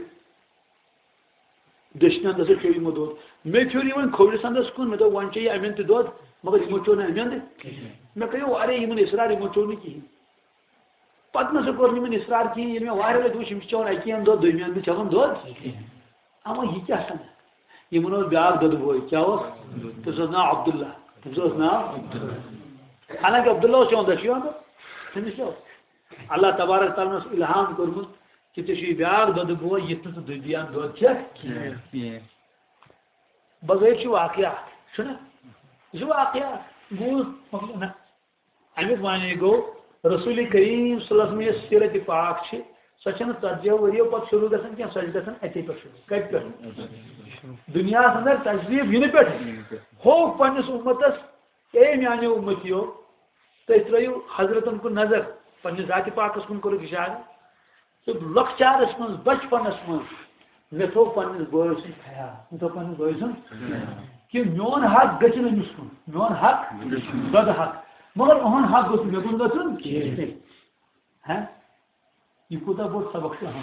دٔچھنہِ اندس ٲسۍ چیٚیہِ یِمو دۄد۔ مےٚ پھیوٚر یہِ وۄنۍ کھوورِس اندس کُن، مےٚ دوٚپ، وۄنۍ چیٚیہِ اَمٮ۪ن تہِ دۄد، مگر یِمو چیوٚو نہٕ اَمٮ۪ن تہِ۔ کِہیٖنۍ۔ مےٚ کَریو واریاہ یِمن اِصرار، یِمو چیوٚو نہٕ کِہیٖنۍ۔ پتہٕ نہ سا کوٚر نہٕ یِمن اِصرار کِہیٖنۍ، ییٚلہِ مےٚ واریاہ لَٹہِ وٕچھ، یِم چھِ چٮ۪وان اَکی اَندٕ دۄد، دوٚیمہِ اَندٕ چھِ چٮ۪وان دۄد۔ کِہیٖنۍ۔ اما یہِ کیٛاہ سَنا؟ یِمن اوس بیٛاکھ دۄدٕ بوے، کیٛاہ اوس؟ تٔمِس اوس ناو عبداللہ۔ تٔمِس اوس ناو؟ عبداللہ۔ حالانکہِ عبداللہ اوس چٮ۪وان دۄد، چھُ یِوان دۄد؟ تٔمِس کیٛاہ اوس؟ اللہ تبارک تعالیٰ ہن اوس الہام کوٚرمُت کہِ ژےٚ چھُے بیٛاکھ دۄدٕ بوے، یُتھ نہٕ ژٕ دُنیاہَن دۄد کھٮ۪کھ کینٛہہ۔ کینٛہہ۔ بغٲر چھُ واقعہ اکھ، چھُنہ؟ یہِ چھُ واقعہ اکھ۔ بوٗز، مۄکلیو نہ۔ اَمیُک معنی گوٚو، رسول کریم صلی اللہ علیہ وسلم یۄس سیرت پاک چھِ، سۄ چھَنہٕ ژتجی ؤریو پتہٕ شروع گژھان کینٛہہ، سۄ چھِ گژھان اَتے پٮ۪ٹھ شروع۔ کَتہِ پٮ۪ٹھ؟ دُنیاہَس اندر تشریف یِنہٕ پٮ۪ٹھ۔ ہو پنٛنِس اُمتَس، اے میٛانیو اُمتیو، تُہۍ ترٛٲیِو حضرتن کُن نظر، پنٛنِس ذاتِ پاکَس کُن کوٚرُکھ اِشارٕ۔ تہٕ لۄکچارس منٛز، بچپنس منٛز مےٚ تھوٚو پننِس بٲے سُنٛد خیال، مےٚ تھوٚو پننِس بٲے سُنٛد خیال۔ کہِ میون حق گژھِ نہٕ أمِس کُن، میون حق، دۄدٕ حق، مگر أہُنٛد حق گوٚژھ نہٕ مےٚ کُن گژھُن کینٛہہ۔ ہہ؟ یہِ کوٗتاہ بوٚڑ سبق چھُ اہم۔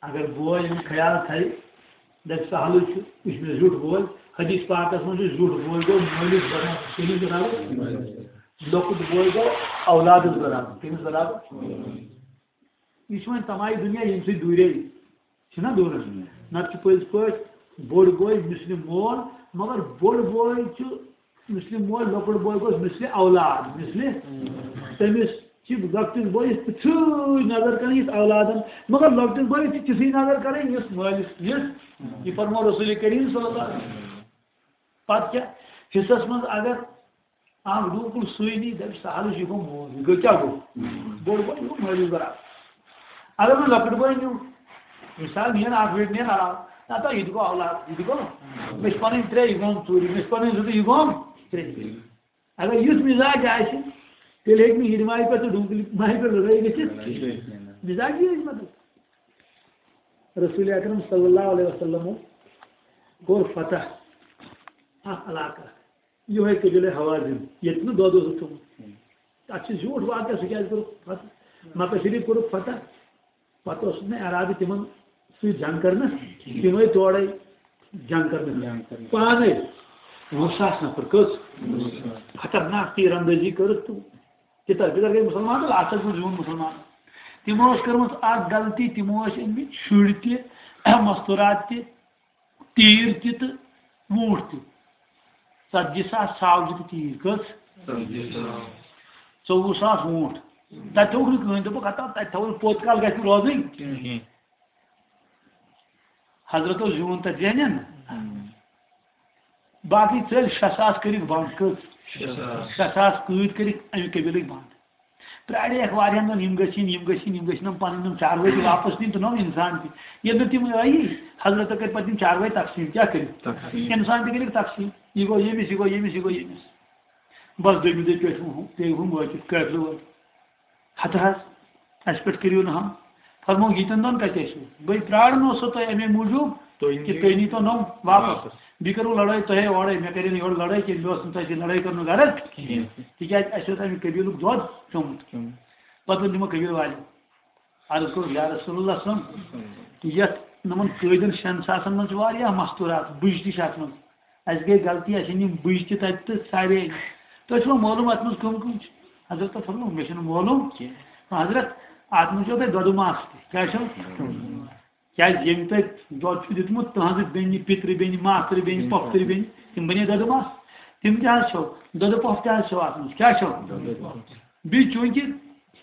اگر بوے یِم خیال تھایہِ، دَپہِ سہلٕے چھُ، یہِ چھُ مےٚ زیُٹھ بوے۔ حدیث پاکس منٛز چھُ زیُٹھ بوے گوٚو مٲلِس برابر، کٔمِس برابر؟ لۄکُٹ بوے گوٚو اولادس برابر، کٔمِس برابر؟ یہِ چھُ وۄنۍ تمایہِ دُنیا ییٚمہِ سۭتۍ دوٗرے چھِنہ دوٗرس۔ نتہٕ چھُ پٔزۍ پٲٹھۍ بوٚڑ بوے مثلِ مول، مگر بوٚڑ بوے چھُ مثلِ مول، لۄکُٹ بوے گوٚژھ مثلِ اولاد، مثلِ تٔمِس چھِ لۄکٹِس بٲیِس تِژھٕے نظر کرٕنۍ یِژھ اولادن، مگر لۄکٹِس بٲیِس چھِ تِژھٕے نظر کرٕنۍ یِژھ مٲلِس، یِژھ یہِ فرموو رسول کریم صلی اللہ علیہ وسلم۔ پتہٕ کیٛاہ؟ حصس منٛز اگر اکھ ڈوٗکُل سُے نی، دَپہِ سہلٕے چھُ، یہِ گوٚو مول، یہِ گوٚو کیٛاہ گوٚو؟ بوٚڑ بوے گوٚو مٲلِس برابر۔ اگر نہٕ لۄکٕٹ بوے نیوٗ، مثال نِیَن اکھ ویٹ نِیَن علاوٕ، نہ تہٕ یہِ تہِ گوٚو اولاد، یہِ تہِ گوٚو۔ مےٚ چھِ پَنٕنۍ ترٛےٚ، یہِ گوٚو ژوٗرِ، مےٚ چھِ پَنٕنۍ زٕ تہٕ یہِ گوٚو ترٛےٚ۔ اگر یُتھ مِزاج آسہِ، تیٚلہِ ہیٚکہِ نہٕ یِڈِ ماجہِ پٮ۪ٹھ تہٕ ڈوٗکٕلۍ ماجہِ پٮ۪ٹھ لڑٲے گٔژھِتھ کِہیٖنۍ۔ مِزاج یہِ ٲسۍ مطلب۔ رسول اکرم صلی اللہ علیہ وسلمو کوٚر فتح اکھ علاقہٕ، یِہوٚے قبیلے حوازن، ییٚتہِ نہٕ دۄد اوسُکھ تھوٚمُت۔ تَتھ چھِ زیوٗٹھ واقعہ، سُہ کیٛازِ کوٚرُکھ فتح؟ مکہ شریف کوٚرُکھ فتح، پتہٕ اوسُکھ نہٕ ارادٕ تِمن سۭتۍ جنگ کرنس، تِم ٲسۍ تورے جنگ کرنس۔ جنگ کرنس۔ پانے وُہ ساس نفر۔ کٔژ؟ وُہ ساس۔ خطرناک تیر اندٲزی کٔرٕکھ تہٕ تِتر بِتر گٔے مُسلمان تہٕ لاسٹس منٛز زیوٗن مُسلمان۔ تِمو ٲس کٔرمٕژ اکھ غلطی، تِمو ٲسۍ أنۍ مٕتۍ شُرۍ تہِ، مستوٗرات تہِ، تیٖر تہِ تہٕ ووٗنٛٹھ تہِ۔ ژتجی ساس ژھاوجہِ تہٕ تیٖر۔ کٔژ؟ ژتجی ساس۔ ژوٚوُہ ساس ووٗنٛٹھ۔ تتہِ تھوٚوُکھ نہٕ کٕہٕنۍ، دوٚپُکھ، ہتا تتہِ تھاوو پوٚت کال گژھِ نہٕ روزٕنۍ۔ کِہیٖنۍ۔ حضرتو زیوٗن تتہِ ذہنن۔ باقٕے ژٔلۍ شےٚ ساس کٔرِکھ بنٛد۔ کٔژ؟ شےٚ ساس۔ شےٚ ساس قۭدۍ کٔرِکھ امہِ قبیلٕکۍ بنٛد۔ پرٛاریکھ واریاہن دۄہن، یِم گٔژھۍ یِن، یِم گٔژھۍ یِن، یِم گٔژھۍ نہٕ پنٕنۍ یِم چاروٲے تہِ واپس نِنۍ تہٕ نہ یِم انسان تہِ۔ ییٚلہِ نہٕ تِم آیی، حضرتو کٔرۍ پتہٕ یِم چاروٲے تقسیٖم۔ کیٛاہ کٔرِکھ؟ تقسیٖم۔ انسان تہِ کٔرِکھ تقسیٖم۔ یہِ گوٚو ییٚمِس، یہِ گوٚو ییٚمِس، یہِ گوٚو ییٚمِس۔ بس دوٚیمہِ دۄہہِ پٮ۪ٹھ ہُم، پیٚیہِ ہُم وٲتِتھ قٲفلہٕ وٲلۍ۔ ہتہٕ حظ، اَسہِ پٮ۪ٹھ کٔرِو نہٕ ہم۔ فرمووُکھ، ییٖتٮ۪ن دۄہن کتہِ ٲسِو؟ بٔے پرٛاران اوسو تۄہہِ اَمے موٗجوٗب تُہۍ کہِ نِیِو تُہۍ نیٖتو نوٚم واپس۔ واپس۔ بیٚیہِ کٔرٕو لڑٲے تۄہے اورے، مےٚ کَرے نہٕ یورٕ لڑٲے کینٛہہ، مےٚ اوس نہٕ تۄہہِ سۭتۍ لڑٲے کَرنُک غرض۔ کِہیٖنۍ۔ تِکیٛازِ اَسہِ اوس اَمہِ قبیٖلُک دۄد چوٚمُت۔ چوٚمُت۔ پتہٕ ووٚن تِمو قبیٖلہٕ والٮ۪ن، عرض کوٚر، یا رسول اللہ صلی اللہ علیہ وسلم، یَتھ یِمن قٲدٮ۪ن شٮ۪ن ساسن منٛز چھِ واریاہ مستوٗرات، بُجہِ تہِ چھِ اَتھ منٛز۔ اَسہِ گٔے غلطی، اَسہِ أنۍ یِم بُجہِ تہِ تَتہِ تہٕ سارے أنۍ۔ تۄہہِ چھُوا معلوٗم اَتھ منٛز کٕم کٕم چھِ؟ حضرت فرموو، مےٚ چھُنہٕ معلوٗم کینٛہہ۔ حضرت، اَتھ منٛز چھُو تۄہہِ دۄدٕ ماس تہِ۔ کیٛاہ چھُو؟ کیٛازِ ییٚمۍ تۄہہِ دۄد چھُ دیُتمُت، تٕہٕنٛزٕ بیٚنہِ، پِترِ بیٚنہِ، ماستٕرِ بیٚنہِ، پۄپھتٕرِ بیٚنہِ، تِم بَنے دۄدٕ ماس۔ تِم تہِ حظ چھَو۔ دۄدٕ پۄپھ تہِ حظ چھَو اَتھ منٛز۔ کیٛاہ چھَو؟ بیٚیہِ چوٗنٛکہِ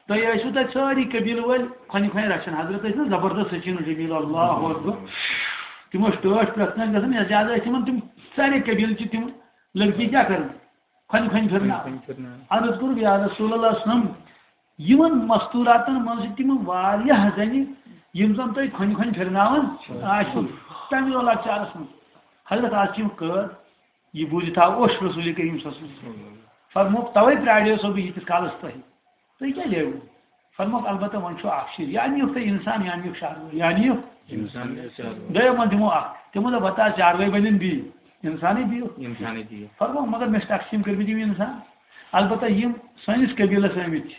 تۄہہِ ٲسِو تَتہِ سٲری قبیٖلہٕ وٲلۍ کھۄنہِ کھۄنہِ رَچھان۔ حضرت ٲسۍ نہ زبردست سچین جمیٖل، اللہ اکبر۔ تِم ٲسۍ ٹٲٹھۍ پرٛٮ۪تھ کانٛہہ گژھان، یَتھ زیادٕ ٲسۍ تِمَن تِم سارے قبیٖلہٕ چھِ تِم لٔڑکی کیٛاہ کَران؟ کھۄنہِ کھۄنہِ پھِرناوان۔ کھۄنہِ کھۄنہِ پھِرناوان۔ عرض کوٚرُکھ، یا رسول اللہ صلی اللہ علیہ وسلم، یِمَن مستوٗراتَن منٛز چھِ تِم واریاہ زَنہِ، یِم زَن تُہۍ کھۄنہِ کھۄنہِ پھِرناوان آسِو، تَمہِ دۄہ لۄکچارَس منٛز۔ حضرت، آز چھِ یِم قٲد، یہِ بوٗزِتھ آو اوٚش رسول کریم صلی اللہ علیہ وسلم۔ فرمووُکھ، توے پرٛاریوسو بہٕ ییٖتِس کالس تۄہہِ۔ تُہۍ کیٛاہ لیوٕ؟ فرمووُکھ، البتہ وۄنۍ چھُ اکھ چیٖز، یا نِیُکھ تُہۍ انسان، یا نِیُکھ چاروٲے، یا نِیُکھ۔ انسان یا چاروٲے۔ دوٚیو منٛز دِمو اکھ۔ تِمو دوٚپ، وۄنۍ تہٕ آز چاروٲے بنن بیٚیہِ، انسانٕے دِیِو۔ انسانٕے دِیِو۔ فرمووُکھ، مگر مےٚ چھِ تقسیٖم کٔرمٕتۍ یِم انسان۔ البتہ یِم سٲنِس قبیٖلس آمٕتۍ چھِ،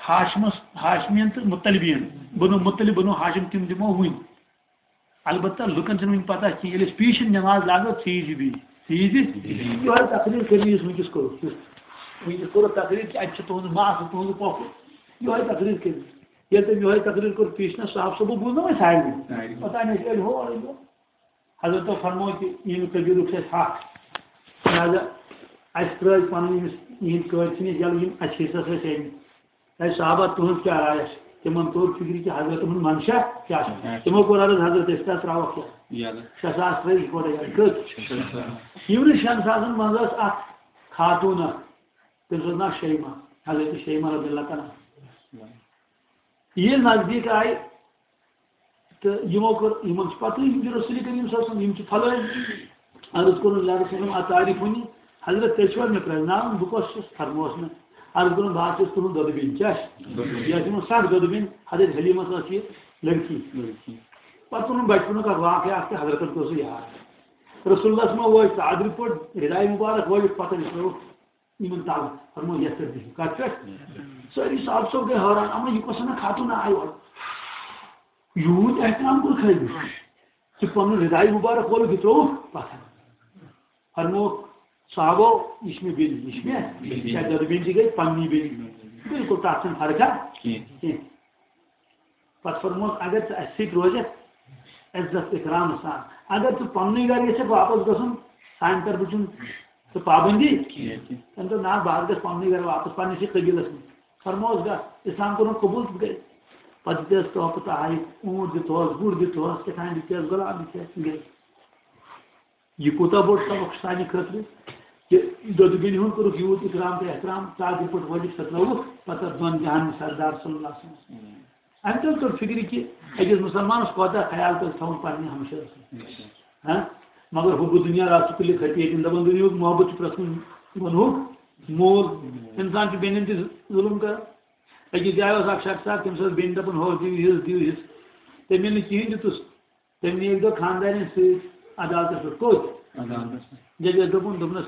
ہاشمس، ہاشمین تہٕ مطلبین، بنو مطلب، بنو ہاشم، تِم دِمو وُنۍ۔ البتہ لُکن چھنہٕ وُنہِ پتہ کینٛہہ، ییٚلہِ أسۍ پیٖشن نماز لاگو، ژیٖرۍ زِ بیٚیہِ، ژیٖرۍ زِ۔ یِہوٚے تقریر کٔرِو یُس وٕنکیٚس کوٚرُکھ، یُس وٕنکیٚس کوٚرُکھ تقریر کہِ اَتہِ چھُ تُہُنٛد ماس تہٕ تُہُنٛد پۄپھٕ۔ یِہوٚے تقریر کٔرِو۔ ییٚلہِ تٔمۍ یِہوٚے تقریر کوٚر پیٖشنس، صاحب صٲبو بوٗز نہ وۄنۍ سارنٕے۔ سارنٕے۔ پتہ نہٕ أسۍ ییٚلہِ ہور أنۍ۔ حضرت فرموو کہِ یِم قبیٖلُک چھُ اَسہِ حق۔ لہذا اَسہِ ترٛٲے پنٕنۍ ییٚمِس، یِہِنٛدۍ قٲدۍ چھِ نہٕ ییٚلہِ یِم اَسہِ حصس ٲسۍ أنۍ۔ اے صحابہ، تُہٕنٛز کیٛاہ راے چھِ؟ تِمن توٚر فِکرِ کہِ حضرت ہُنٛد منشا کیٛاہ چھُ۔ اچھا۔ تِمو کوٚر عرض، حضرت، أسۍ کیٛاہ ترٛاوَکھ یَتھ؟ یَلہٕ۔ شےٚ ساس ترٛٲوِکھ گۄڈَے یَلہٕ۔ کٔژ؟ شےٚ ساس۔ یِمنٕے شٮ۪ن ساسَن منٛز ٲس اَکھ خاتوٗن اَکھ، تٔمِس اوس ناو شیمہ، حضرت شیمہ رضی اللہ تعالیٰ عنہ۔ ییٚلہِ نزدیٖک آیہِ، تہٕ یِمو کٔر، یِمن چھِ پتہٕ یِم چھِ رسول کریم صلی اللہ علیہ وسلم، یِم چھِ فلٲنۍ۔ عرض کوٚرُن، یا رسول اللہ، اتعرفونی؟ حضرت، تُہۍ چھِوا مےٚ پرٛزناوان، بہٕ کۄس چھُس؟ فرمووس مےٚ۔ عرض کوٚرُن، بہٕ حظ چھُس تُہُنٛد دۄدٕ بیٚنہِ۔ کیٛاہ چھِ؟ دۄدٕ بیٚنہِ۔ یہِ ٲس یِمن سخ دۄدٕ بیٚنہِ، حضرت حلیمس ٲس یہِ لڑکی۔ لڑکی۔ پتہٕ کوٚرُن بچپنُک اکھ واقعہ اکھ تہِ، حضرتن کوٚر سُہ یاد۔ رسول اللہ صلی اللہ علیہ وسلم وٲتۍ ژادرِ پٲٹھۍ، رداے مبارک وٲلِتھ، پتہٕ نِکھلووُکھ یِمن تَل، فرموو، یَتھ پٮ۪ٹھ بِہِو۔ کَتھ پٮ۪ٹھ؟ سٲری صحابہٕ صٲب گٔے حٲران، اَمن یہِ کۄس ہنا خاتوٗن آے اورٕ؟ یوٗت احترام کوٚر خٲلِس۔ ژٕ پَنُن رداے مُبارک کھولُکھ، یہِ ترٛووُکھ پَتھر۔ فرمووُکھ صحابو، یہِ چھِ مےٚ بیٚنہِ، یہِ چھِ مےٚ، بیٚنہِ۔ شاید دۄدٕ بیٚنہِ تہِ گٔے پَننی بیٚنہِ۔ بِلکُل تَتھ چھَنہٕ فرقا کینٛہہ۔ کینٛہہ۔ پتہٕ فرمووُکھ، اگر ژٕ اَسہِ سۭتۍ روزکھ عزت اکرام سان، اگر ژٕ پننُے گرٕ یژھکھ واپس گژھُن، سانہِ طرفہٕ چھُنہٕ ژٕ پابندی کینٛہہ۔ تٔمۍ دوٚپ، نہ، بہٕ حظ گژھٕ پننُے گرٕ واپس، پننِسٕے قبیلس منٛز۔ فرمووُس، گژھ، اسلام کوٚرُن قبول تہٕ گٔے۔ پتہٕ دِژ تحفہٕ تہٕ آیہِ، اوٗنٹ دِتہوس، گُر دِتہوس، کیٛاہ تام دِتہوس، غلام دِتہوس، گٔے۔ یہِ کوٗتاہ بوٚڑ سبق چھُ سانہِ خٲطرٕ؟ یہِ دۄدٕ بیٚنہِ ہُنٛد کوٚرُکھ یوٗت اِکرام تہٕ احترام، ژادرِ پٲٹھۍ وٲلِتھ سۄ ترٲوٕکھ پتہٕ دۄن جہانن سردار صلی اللہ علیہ وسلم۔ اَمہِ تل توٚر فِکرِ کہِ أکِس مُسلمانَس کوتاہ خیال پَزِ تھاوُن پنٛنہِ ہمشیرَس سۭتۍ۔ ہاں؟ مگر حُبُّ دُنیا رأس کُلِّ خطیئة، دَپان دُنیاہُک محبت چھُ پرٛٮ۪تھ کُنہِ گۄنہُک مول۔ اِنسان چھُ بیٚنٮ۪ن تہِ ظُلُم کران۔ أکِس جایہِ اوس اکھ شخص اکھ، تٔمِس ٲس بیٚنہِ دَپان، "ہُہ دِیِو، یہِ دِیِو، یہِ۔" تٔمۍ ییٚلہِ نہٕ کِہیٖنۍ دیُتُس، تٔمۍ نِیہِ اَکہِ دۄہ خانٛدارِنۍ سۭتۍ عدالتَس پٮ۪ٹھ۔ کوٚت؟ عدالتَس۔ ججَس دوٚپُن، دوٚپنَس،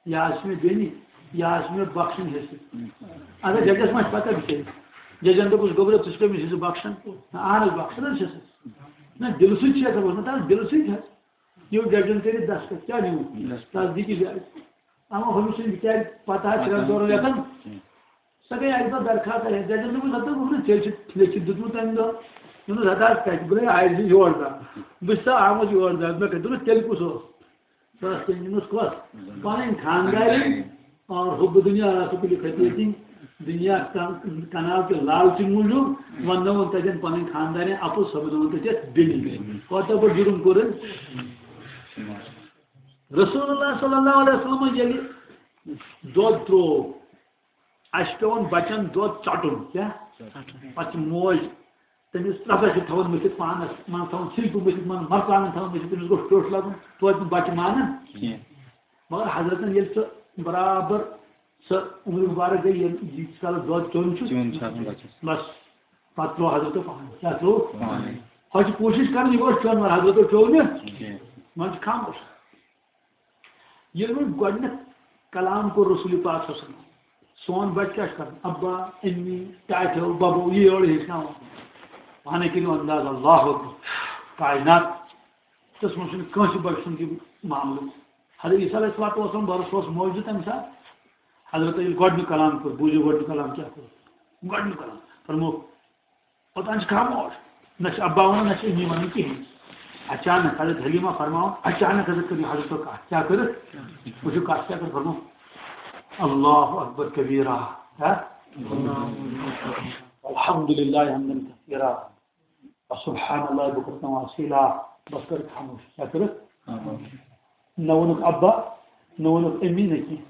"یہِ حظ چھِ مےٚ بیٚنہِ، یہِ حظ چھِ مےٚ بخشُن حصہٕ۔" اگر ججَس ما چھِ پَتہ بِچٲرِس؟ ججَن دوٚپُس، "گوٚبرا، ژٕ چھُکھ أمِس حصہٕ بخشان؟" نہ، اَہن حظ، بخشان حظ چھَسَس۔ نہ، دِلہٕ سۭتۍ چھِ یَژھان، اوس نہ تَس دِلہٕ سۭتۍ حظ۔ یہِ ججَن کٔرِتھ دستخط، کیٛاہ نیوٗ؟ دستخط۔ تصدیٖقی جایہِ۔ اَما ہُمِس چھُنہٕ بِچارِ پَتہ حظ، ترٛٮ۪ن ژورَن رٮ۪تَن۔ سۄ گٔے اَکہِ دۄہ درخاست اَسہِ۔ ججَن دوٚپُس، "ہَتہٕ ووٚن نہٕ، ژےٚ چھُ لیٚکھِتھ دیُتمُت تَمہِ دۄہ۔" دوٚپنَس، "ہَتہٕ حظ کَتہِ؟" دوٚپُن، "ہے، آیہِ زِ یور تام۔ بہٕ چھُس سا آمُت یور تام۔" مےٚ کَتہِ دوٚپنَس، "تیٚلہِ کُس اوس؟" سۄ ٲس تٔمۍ نِمٕژ کۄس؟ پَنٕنۍ خانٛدارِنۍ۔ اور حُبُّ دُنیا رأس کُلِّ خطیئة۔ دُنیا کن-، کَنال تہٕ لالچہِ موٗجوٗب وَننٲوٕن تَتٮ۪ن پَنٕنۍ خانٛدارِنۍ اَپُز، سۄ بَنٲوٕن تَتہِ اَتھ بیٚنہِ۔ کوتاہ بوٚڑ جُرُم کوٚر أمۍ؟ رسول اللہ صلی اللہ علیہ وسلمن ییٚلہِ دۄد ترٛوو، اَسہِ چھُ پٮ۪وان بَچَن دۄد ژَٹُن۔ کیٛاہ؟ ژَٹُن۔ پَتہٕ چھِ موج تٔمِس ترٛکَس چھِ تھاوان مٔتھِتھ پانَس، منٛز تھاوان سِلکہٕ مٔتھِتھ، منٛز مَرژٕوانٛگَن تھاوان مٔتھِتھ، تٔمِس گوٚژھ ٹیوٚٹھ لَگُن، توتہِ نہٕ بَچہٕ مانان۔ کینٛہہ۔ مگر حضرتَن ییٚلہِ سُہ برابر سۄ عمر مُبارک گٔے، ییٚلہِ ییٖتِس کالَس دۄد چیوٚن چھُ، چیوٚن چھُ آسان بَچَس۔ بَس، پَتہٕ ترٛوو حضرتَن پانَے۔ کیٛاہ ترٛوو؟ پانَے۔ ہۄ چھِ کوٗشِش کَران، یہِ گوٚژھ چیوٚن، مگر حضرتَن چیوٚو نہٕ۔ کینٛہہ۔ وۄنۍ چھُ خاموش۔ ییٚلہِ وۄنۍ گۄڈٕنیتھ کلام کوٚر رسول پاک صلی اللہ علیہ وسلم، سون بچہٕ کیٛاہ چھُ کران؟ ابا، امی، ٹاٹھیو، ببو، یہِ یورٕ ہیٚچھناوان۔ پانے کٔرِو انداز، اللہ اکبر۔ کائنات، تس منٛز چھُنہٕ کٲنٛسہِ بچہٕ سُنٛد یہِ معاملہٕ۔ حضرت عیسیٰ علیہ الصلوۃ والسلام برس اوس موجود تمہِ ساتہٕ۔ حضرت ییٚلہِ گۄڈٕنیُک کلام کوٚر، بوٗزِو گۄڈٕنیُک کلام کیٛاہ کوٚر؟ گۄڈٕنیُک کلام فرموو، اوٚتام چھِ خاموش۔ نہ چھِ ابا وَنان، نہ چھِ امی وَنان کِہیٖنۍ۔ اچانک حضرت حلیمہ فرماوان، اچانک حضرت کٔرِو حضرت کَتھ۔ کیٛاہ کٔرٕکھ؟ وٕچھِو کَتھ کیٛاہ کٔر فرمو۔ اللہ اکبر کبیرہ۔ کیٛاہ؟ الحمدللہ حمدن کثیرہ۔ سبحان اللہ بکرۃ و اصیلا۔ بس کٔرٕکھ خاموش۔ کیٛاہ کٔرٕکھ؟ نہ ووٚنُکھ ابا، نہ ووٚنُکھ امی، نہ کینٛہہ۔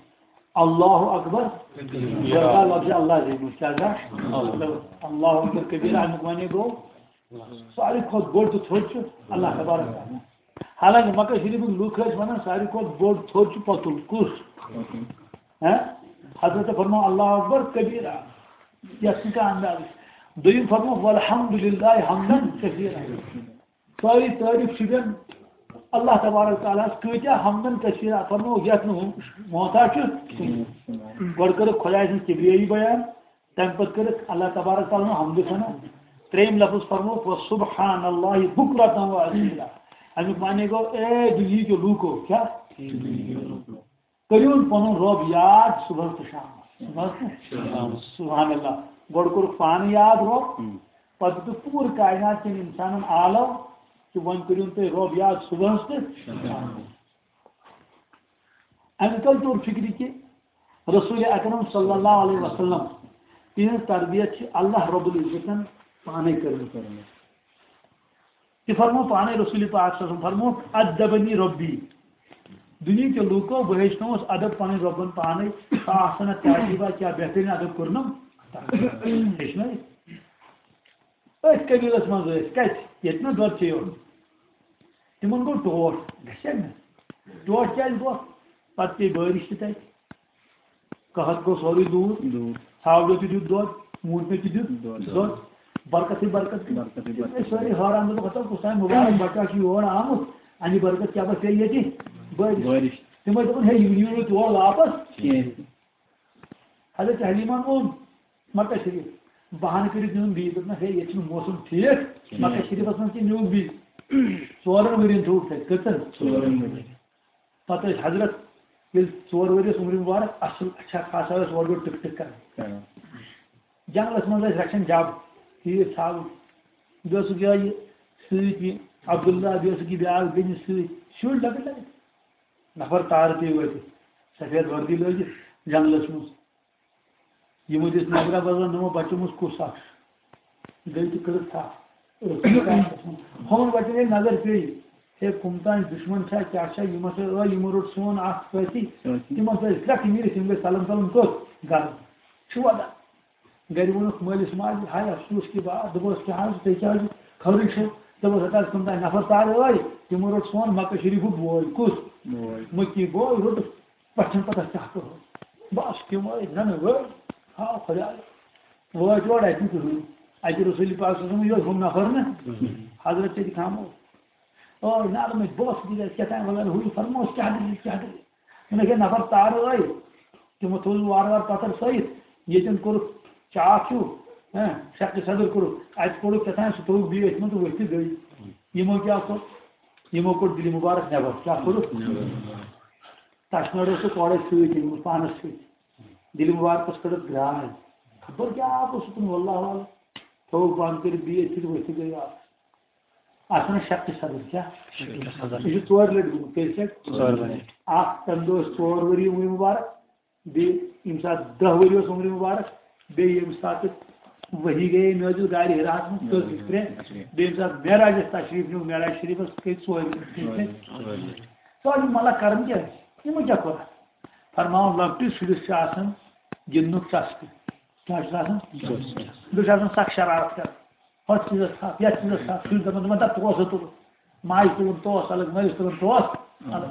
اللہ اکبر، کبیرہ۔ لفظ اللہ زینُن، کیٛاہ گژھِ؟ اللہ۔ اللہ اکبر کبیرہ، اَمیُک معنی گوٚو، ساروی کھۄتہٕ بوٚڑ تہٕ تھوٚد چھُ اللہ تبارک تعالیٰ۔ حالانکہ مکہ شریفٕکۍ لُکھ ٲسۍ وَنان، ساروی کھۄتہٕ بوٚڑ تھوٚد چھُ پۄتُل۔ کُس؟ ہاں؟ حضرت فرموو، اللہ اکبر کبیرہ، یَتھ چھُنہٕ کانٛہہ اندازٕے۔ دوٚیِم فرموو، والحمدللہ حمدن کثیرہ۔ سٲری تعریف چھِ دِوان اللہ تبارک تعالیٰ ہَس، کۭتیٛاہ حمدن کثیرہ فرموو، یَتھ نہٕ محتاج چھُ۔ گۄڈٕ کٔرٕکھ خۄداے سٕنٛز کبریٲیی بیان، تَمہِ پَتہٕ کٔرٕکھ اللہ تبارک تعالیٰ ہَن حمدٕ ثنا۔ ترٛیٚیِم لفظ فرموو، سبحان اللہ بکرۃ و اصیلا۔ اَمیُک معنی گوٚو، اے دُنیہٕکیو لوٗکو، کیٛاہ؟ کٔرِو پنُن رۄب یاد صُبحس تہٕ شامس۔ صُبحس تہٕ شامس۔ سبحان اللہ۔ گۄڈٕ کوٚرُکھ پانہٕ یاد رۄب، ہم۔ پتہٕ دیُتُکھ پوٗرٕ کائنات کٮ۪ن انسانن آلو کہِ وۄنۍ کٔرِو تُہۍ رۄب یاد صُبحس تہٕ شامس۔ اَمہِ تل توٚر فِکرِ کہِ رسول اکرم صلی اللہ علیہ وسلم، تِہنٛز تربیت چھِ اللہ رب العزتن پانے کٔرمٕژ۔ تہِ فرمو پانے رسول پاک صلی اللہ علیہ وسلم، فرمو، "ادبنی ربی"۔ دُنیہٕکیو لوٗکو، بہٕ ہیٚچھنووُس ادب پنٕنۍ رۄبن پانے۔ فاحسن تادیبا، کیٛاہ بہتریٖن ادب کوٚرنم؟ ہیٚچھنٲوِتھ۔ أتھۍ قبیٖلس منٛز ٲسۍ، کتہِ؟ ییٚتہِ نہ دۄد چیٚیو۔ تِمن گوٚو ٹوٹھ، گژھِ نہٕ؟ ٹوٹھ کیٛازِ گوٚو؟ پتہٕ پیٚیہِ بٲرِش تہِ تتہِ۔ قحط گوٚو سورُے دوٗر۔ دوٗر۔ ژھاوجو تہِ دیُت دۄد، موٗنٛٹنو تہِ دیُت دۄد۔ دۄد۔ برکتٕے برکت۔ برکتٕے برکت۔ أسۍ سٲری حٲران، دوٚپُکھ، ہتا کُس تام مُبارک بچہ چھُ یور آمُت، اَمہِ برکت کیٛاہ بس پیٚیہِ ییٚتہِ؟ بٲرِش۔ بٲرِش۔ تِمو دوٚپُن، ہے، یہِ نِیِو نہٕ تور واپس۔ کِہیٖنۍ۔ حضرت حلیمن ووٚن مکہ شریف، بہانہٕ کٔرِتھ نیوٗن بیٚیہِ، دوٚپنَس، ہے، ییٚتہِ چھُنہٕ موسم ٹھیٖک، کِہیٖنۍ۔ مکہ شریفس منٛز کہِ نیوٗن بیٚیہِ۔ ژورن ؤرین تھوٚوُکھ تَتہِ۔ کٔژن؟ ژورن ؤرین۔ پتہٕ ٲسۍ حضرت، ییٚلہِ ژور ؤرۍ ٲسۍ عمرِ مُبارک، اصل اچھا خاصا ٲسۍ اورٕ یورٕ ٹٕک ٹٕک کران۔ کران۔ جنگلس منٛز ٲسۍ رچھان جب، تیٖر ژھاوٕج۔ بیٚیہِ اوسُکھ یِہوٚے یہِ سۭتۍ یہِ عبداللہ، بیٚیہِ اوسُکھ یہِ بیٛاکھ بیٚنہِ سۭتۍ۔ شُرۍ لۄکٕٹۍ لۄکٕٹۍ۔ نفر تارٕ پیٚیہِ وٲتِتھ، سفید وردی لٲگِتھ جنگلس منٛز۔ یِمو دِژ نظرا بظرا، نوٚمو بچو منٛز کُس اکھ چھُ۔ گٔے تہٕ کٔرٕکھ تھپھ۔ ٲس نہٕ کانٛہہ۔ ہُمن بچن ییٚلہِ نظر پیٚیہِ، ہے، کٕم تام دُشمن چھا، کیٛاہ چھا، یِم ہسا ٲے، یِمو روٚٹ سون اکھ سٲتھی۔ سٲتھی۔ تِمن سۭتۍ أسۍ کرٛکھ، یِم نیٖرِتھ، یِم گٔے سلم سلم کوٚت؟ گرٕ۔ چھُ وَدان۔ گرِ ووٚنُکھ مٲلِس ماجہِ، ہاے افسوس کہِ بات، دوٚپُس، کیٛاہ حظ، تُہۍ کیٛاہ حظ چھِو خبرٕے چھِو؟ دوٚپُس، ہتا حظ کٕم تام نفر تارٕ ٲے، تِمو روٚٹ سون مکہ شریٖفُک بوے۔ کُس؟ بوے۔ مٔکی بوے روٚٹُکھ۔ پَژھٮ۪ن پَتہٕ کیٛاہ کَرو؟ بَس تِم ٲسۍ زَنہٕ وٲلۍ۔ ہا خۄدایا۔ وٲتۍ یور اَتہِ نہٕ کٕہٕنۍ۔ اَتہِ رسوٗلِ پاک صلی اللہ علیہ وسلم یوت ہُم نفر نہٕ۔ حضرت تہِ خاموش۔ ٲے نالہٕ مٔتۍ، بہٕ اوسُس دِلہِ اَسہِ کیٛاہ تام وَنان، ہُہ یہِ فرمووُس، کیٛاہ دٔلیٖل، کیٛاہ دٔلیٖل؟ مےٚ گٔے نفر تارٕ ٲے۔ تِمو تھوٚو وارٕ وارٕ پَتھر سٲیِتھ۔ ییٚتٮ۪ن کوٚرُکھ چاکھ ہیوٗ، ہاں، شکل صدر کوٚرُکھ۔ اَتہِ کوٚڑُکھ کیٛاہ تام، سُہ تھوٚوُکھ بیٚیہِ أتھۍ منٛز تہٕ ؤتھۍ تہٕ گٔے۔ یِمو کیٛاہ کوٚر؟ یِمو کوٚڑ دِلہِ مُبارک نٮ۪بر۔ کیٛاہ کوٚرُکھ؟ تَشنٲر اوس سُہ کورے سۭتۍ، أمِس پانَس سۭتۍ۔ دِلہِ مُبارکَس کٔڑٕکھ گرٛاے۔ خبر کیٛاہ آب اوس اوٚکُن، واللہ عالم۔ تھوٚوُکھ بنٛد کٔرِتھ بیٚیہِ أتھۍ تہٕ ؤتھۍ گٔے واپس۔ اَتھ وَنان شکہِ صدر، کیٛاہ؟ شکہِ صدر۔ یہِ چھُ ژورِ لَٹہِ گوٚمُت، کٔژِ لَٹہِ؟ ژورِ لَٹہِ۔ اَکھ تَمہِ دۄہ ٲس ژور ؤری عمرِ مُبارک، بیٚیہِ ییٚمہِ ساتہٕ دَہ ؤری اوس عمرِ مُبارک، بیٚیہِ ییٚمہِ ساتہٕ وحی گٔیے نٲزِل غارِ حِراہَس منٛز، کٔژ لَٹہِ؟ ترٛےٚ۔ بیٚیہِ ییٚمہِ ساتہٕ معراجَس تشریٖف نیوٗ، معراج شریٖفَس گٔے ژورِ لَٹہِ۔ ژورِ لَٹہِ۔ ژورِ لَٹہِ۔ مطلب کَرُن کیٛاہ آسہِ؟ یِمو کیٛاہ کوٚر؟ فرماوُن، لۄکٹِس شُرِس چھُ آسان گِنٛدنُک چسکہٕ۔ کیٛاہ چھُس آسان؟ چسکہٕ۔ بیٚیہِ چھُ آسان سخ شرارت کران۔ ہۄتھ چیٖزس تھپھ، یتھ چیٖزس تھپھ، شُرۍ دپان، دپان، دپان، "تَتھ پونٛسہٕ تُل، ماجہِ تُلُن توس الگ، مٲلِس تُلُن توس الگ۔"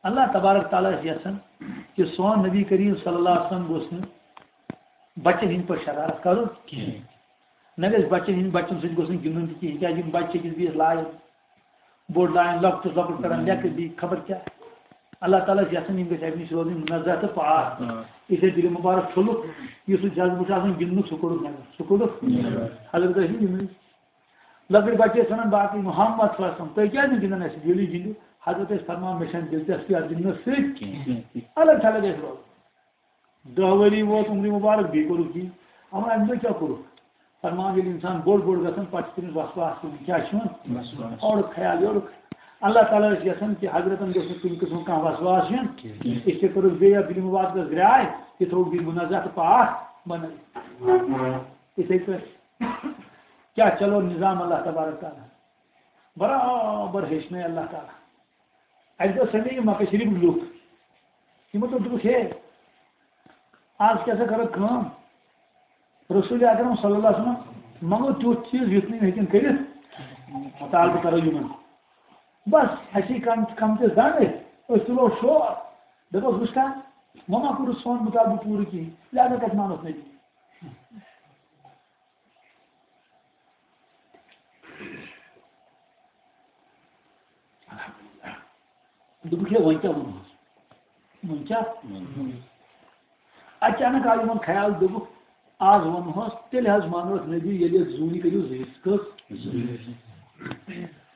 اللہ تبارک تعالیٰ چھُ یژھان کہِ سون نبی کریم صلی اللہ علیہ وسلم گوٚژھ نہٕ بچن ہٕنٛدۍ پٲٹھۍ شرارت کرُن کِہیٖنۍ۔ نہ گژھِ بچن ہٕنٛدۍ، بچن سۭتۍ گوٚژھ نہٕ گِنٛدُن تہِ کِہیٖنۍ، کیٛازِ یِم بچہِ چھِ أکِس بیٚیِس لایان۔ بوٚڑ لایان، لۄکٹِس لۄکُٹ کران، لیٚکھٕ بیٚیہِ خبر کیٛاہ۔ اللہ تعالیٰ چھُ یژھان یِم گٔژھۍ اَمہِ نِش روزٕنۍ منزہ تہٕ پاک۔ آ۔ یُس اَسہِ دِلہِ مُبارک چھوٚلُکھ، یُس سُہ جذبہٕ چھُ آسان گِنٛدنُک، سُہ کوٚڑُکھ نٮ۪بر۔ سُہ کوٚڑُکھ؟ نٮ۪بر۔ حضرت ٲسۍ نہٕ گِنٛدنٕے۔ لۄکٕٹۍ بچہٕ ٲسۍ وَنان باقٕے، "محمد صلی اللہ علیہ وسلم، تُہۍ کیٛازِ نہٕ گِنٛدان اَسہِ سۭتۍ؟ ییٚلہِ گِنٛدِو؟" حضرت ٲسۍ فرماوان، "مےٚ چھَنہٕ دِلچسپی اَتھ گِنٛدنَس سۭتۍ کینٛہہ۔" الگ تھلگ ٲسۍ روزان۔ دَہ ؤری ووت عمرِ مُبارک، بیٚیہِ کوٚرُکھ یی۔ اَما اَمہِ دۄہ کیٛاہ کوٚرُکھ؟ فرمان، ییٚلہِ اِنسان بوٚڑ بوٚڑ گژھان، پَتہٕ چھُ تٔمِس وسواس یِوان۔ کیٛاہ چھُ یِوان؟ وسواس۔ اورُک خیال یورُک۔ اللہ تعالیٰ ٲسۍ یَژھان کہِ حضرتَن گوٚژھ نہٕ کُنہِ قٕسمُک کانٛہہ وسواس یُن کینٛہہ۔ أسۍ تہِ کوٚرُکھ بیٚیہِ اَتھ دِلہِ مُبارکَس گرٛاے، یہِ تھوٚوُکھ بیٚیہِ مُنزہ تہٕ پاک بَنٲوِتھ۔ یِتھَے پٲٹھۍ کیٛاہ چلو نظام اللہ تبارک تعالیٰ۔ برابر ہیٚچھنٲے اللہ تعالیٰ۔ اَسہِ دوٚپ سٲری یہِ مکہ شریٖفٕکۍ لُکھ، یِمو دوٚپ، دوٚپُکھ، "ہے، آز کیٛاہ سا کَرو کٲم؟ رسول اکرم صلی اللہ علیہ وسلم منٛگو تیُتھ چیٖز یُتھ نہٕ یِم ہیٚکن کٔرِتھ، مطالبہٕ کَرو یِمن۔ بس، اَسہِ یی کم، کم تہِ زن أسۍ، أسۍ تُلو شور، دَپوس، وٕچھ کھا، وۄنۍ ما کوٚرُتھ سون مطالبہٕ پوٗرٕ کِہیٖنۍ، لہذا کَتہِ مانوس نبی؟" دوٚپُکھ، "ہے، وۄنۍ کیٛاہ وَنہوس؟ وۄنۍ کیٛاہ؟" اچانک آو یِمن خیال، دوٚپُکھ، "آز وَنہوس، تیٚلہِ حظ مانوس نبی، ییٚلہِ یَتھ زوٗنہِ کٔرِو زٕ حصہٕ۔" کٔژ؟ زٕ حصہٕ۔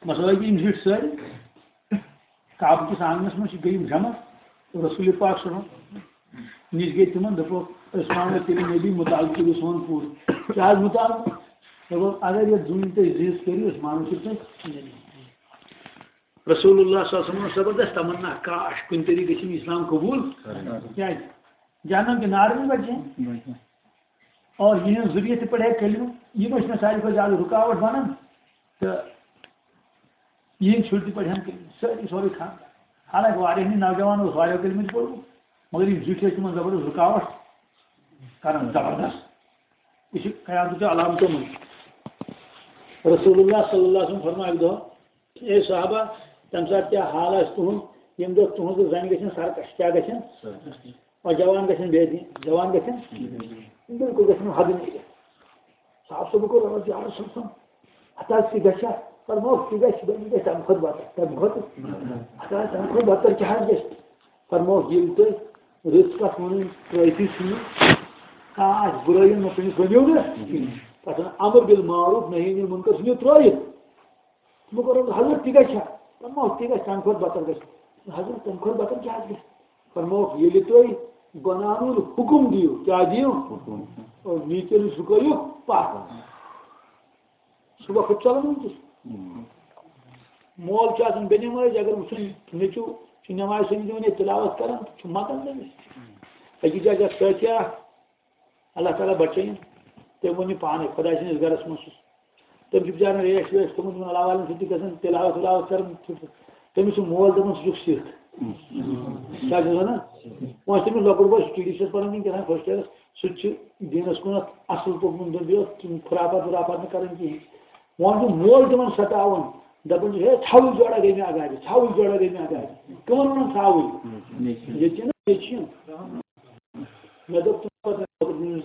مثلاً، یِم زِٹھۍ سٲری کعبہٕ کِس آنٛگنَس منٛز چھِ، گٔے یِم جمع۔ رسول پاک صلی اللہ علیہ وسلم نِش گٔے تِمن، دوٚپُکھ، "أسۍ مانو تیٚلہِ نبی، مطالبہٕ کٔرِو سون پوٗرٕ۔" کیٛاہ حظ مطالبہٕ؟ دوٚپُکھ، "اگر یَتھ زوٗنہِ تُہۍ زٕ حصہٕ کٔرِو، أسۍ مانو تیٚلہِ تُہۍ نبی۔" رسول اللہ صلی اللہ علیہ وسلم زبردست تمنا، کاش کُنہِ طریقہٕ گژھِ یِم اسلام قبول۔ کیٛازِ؟ جہنم کے نار میں بچے ہیں۔ اور یِہٕنٛز ذُریت تہِ پَرِ ہے کلمہٕ، یِم ٲسۍ مےٚ ساروی کھۄتہٕ زیادٕ رُکاوٹ بَنان۔ تہٕ یِہٕنٛدۍ شُرۍ تہِ پَرِ ہَن کلمہٕ، سٲری، سورُے خانٛدان۔ حالانکہ واریاہ ہٕنٛدۍ نوجوان اوس واریاہ کلمہٕ تہِ پوٚرمُت، مگر یِم زِٹھۍ ٲسۍ تِمَن زبردست رُکاوٹ کران، زبردست۔ یہِ چھُ قیامتٕچ علامتو منٛز۔ رسول اللہ صلی اللہ علیہ وسلم فرمایہِ اَکہِ دۄہ، اے صحابہ، تَمہِ ساتہٕ کیٛاہ حال آسہِ تُہُنٛد، ییٚمہِ دۄہ تُہٕنٛزٕ زَنہِ گژھن سرکش، کیٛاہ گژھن؟ سرکش۔ اور جوان گژھن بے دین، جوان گژھن بے دین۔ بِلکُل گژھن حدٕ نیٖرِتھ۔ صاحب صٲب کوٚر عرض، یا رسول اللہ، ہتہٕ حظ تہِ گژھِ ہا؟ فرمووُکھ، تہِ گژھِ، وۄنۍ گژھِ تَمہِ کھۄتہٕ بدتر، تَمہِ کھۄتہٕ۔ ہتہٕ حظ تَمہِ کھۄتہٕ بدتر کیٛاہ حظ گژھِ؟ فرمووُکھ، ییٚلہِ تُہۍ رٕژ کَتھ وَنٕنۍ ترٛٲیتھٕے ژھٕنِو، کانٛہہ آسہِ بُرٲیی منٛز، تٔمِس ؤنِو نہٕ کِہیٖنۍ۔ پَتہٕ اَمر بالمعروف، نہی عن المنکر ژھٕنِو ترٛٲیِتھ۔ تِمو کوٚر عرض، حضرت، تہِ گژھِ ہا؟ فرمووُکھ، تہِ گژھِ، تَمہِ کھۄتہٕ بدتر گژھِ۔ حضرت، تَمہِ کھۄتہٕ بدتر کیٛاہ آسہِ گژھِ؟ فرمووُکھ، ییٚلہِ تُہۍ گۄناہن ہُنٛد حُکُم دِیِو، کیٛاہ دِیِو؟ حُکُم۔ اور نیٖچن نِش رُکٲیِو پَتھ۔ سُہ وقت چلان وٕنکیٚس۔ ہُم۔ مول چھُ آسان بے نمٲز، اگر وٕچھُن نیٚچوٗ چھُ نمازِ سۭتۍ دِوان یا تِلاوت کران، چھُ مَتان تٔمِس۔ أکِس جایہِ چھِ اَکھ سٲتھی اَکھ، اللہ تعالیٰ بچٲیِن۔ تٔمۍ ووٚن یہِ پانَے، خۄداے سٕنٛدِس گَرَس منٛز چھُس۔ تٔمۍ چھُ بِچارَن ریش ویش تھوٚمُت یِمَن علاوٕ والٮ۪ن سۭتۍ تہِ گژھان تِلاوت وِلاوت کَران۔ تٔمِس چھُ مول دَپان، "ژٕ چھُکھ سِکھ۔" کیٛاہ چھُس وَنان؟ وۄنۍ چھُ تٔمِس لۄکُٹ بوے، سُہ ٹی ڈی سی یَس پَران وٕنکیٚس فٔسٹ یِیَرَس، سُہ تہِ چھُ دیٖنَس کُنَتھ اَصٕل پوٚکمُت، بیٚیہِ اوس تِم خُرافات وُرافات نہٕ کَران کِہیٖنۍ۔ وۄنۍ چھُ مول تِمَن سَتاوان، دَپان چھُ، "ہے، ژھاوٕج جوڑا گٔے مےٚ اَگادِ، ژھاوٕج جوڑا گٔے مےٚ اَگادِ۔" کٕمَن وَنان ژھاوٕج؟ ییٚتہِ چھِنہ، ییٚتہِ چھِ یِم۔ مےٚ دوٚپ تِمَن پَتہٕ، مےٚ دوٚپ،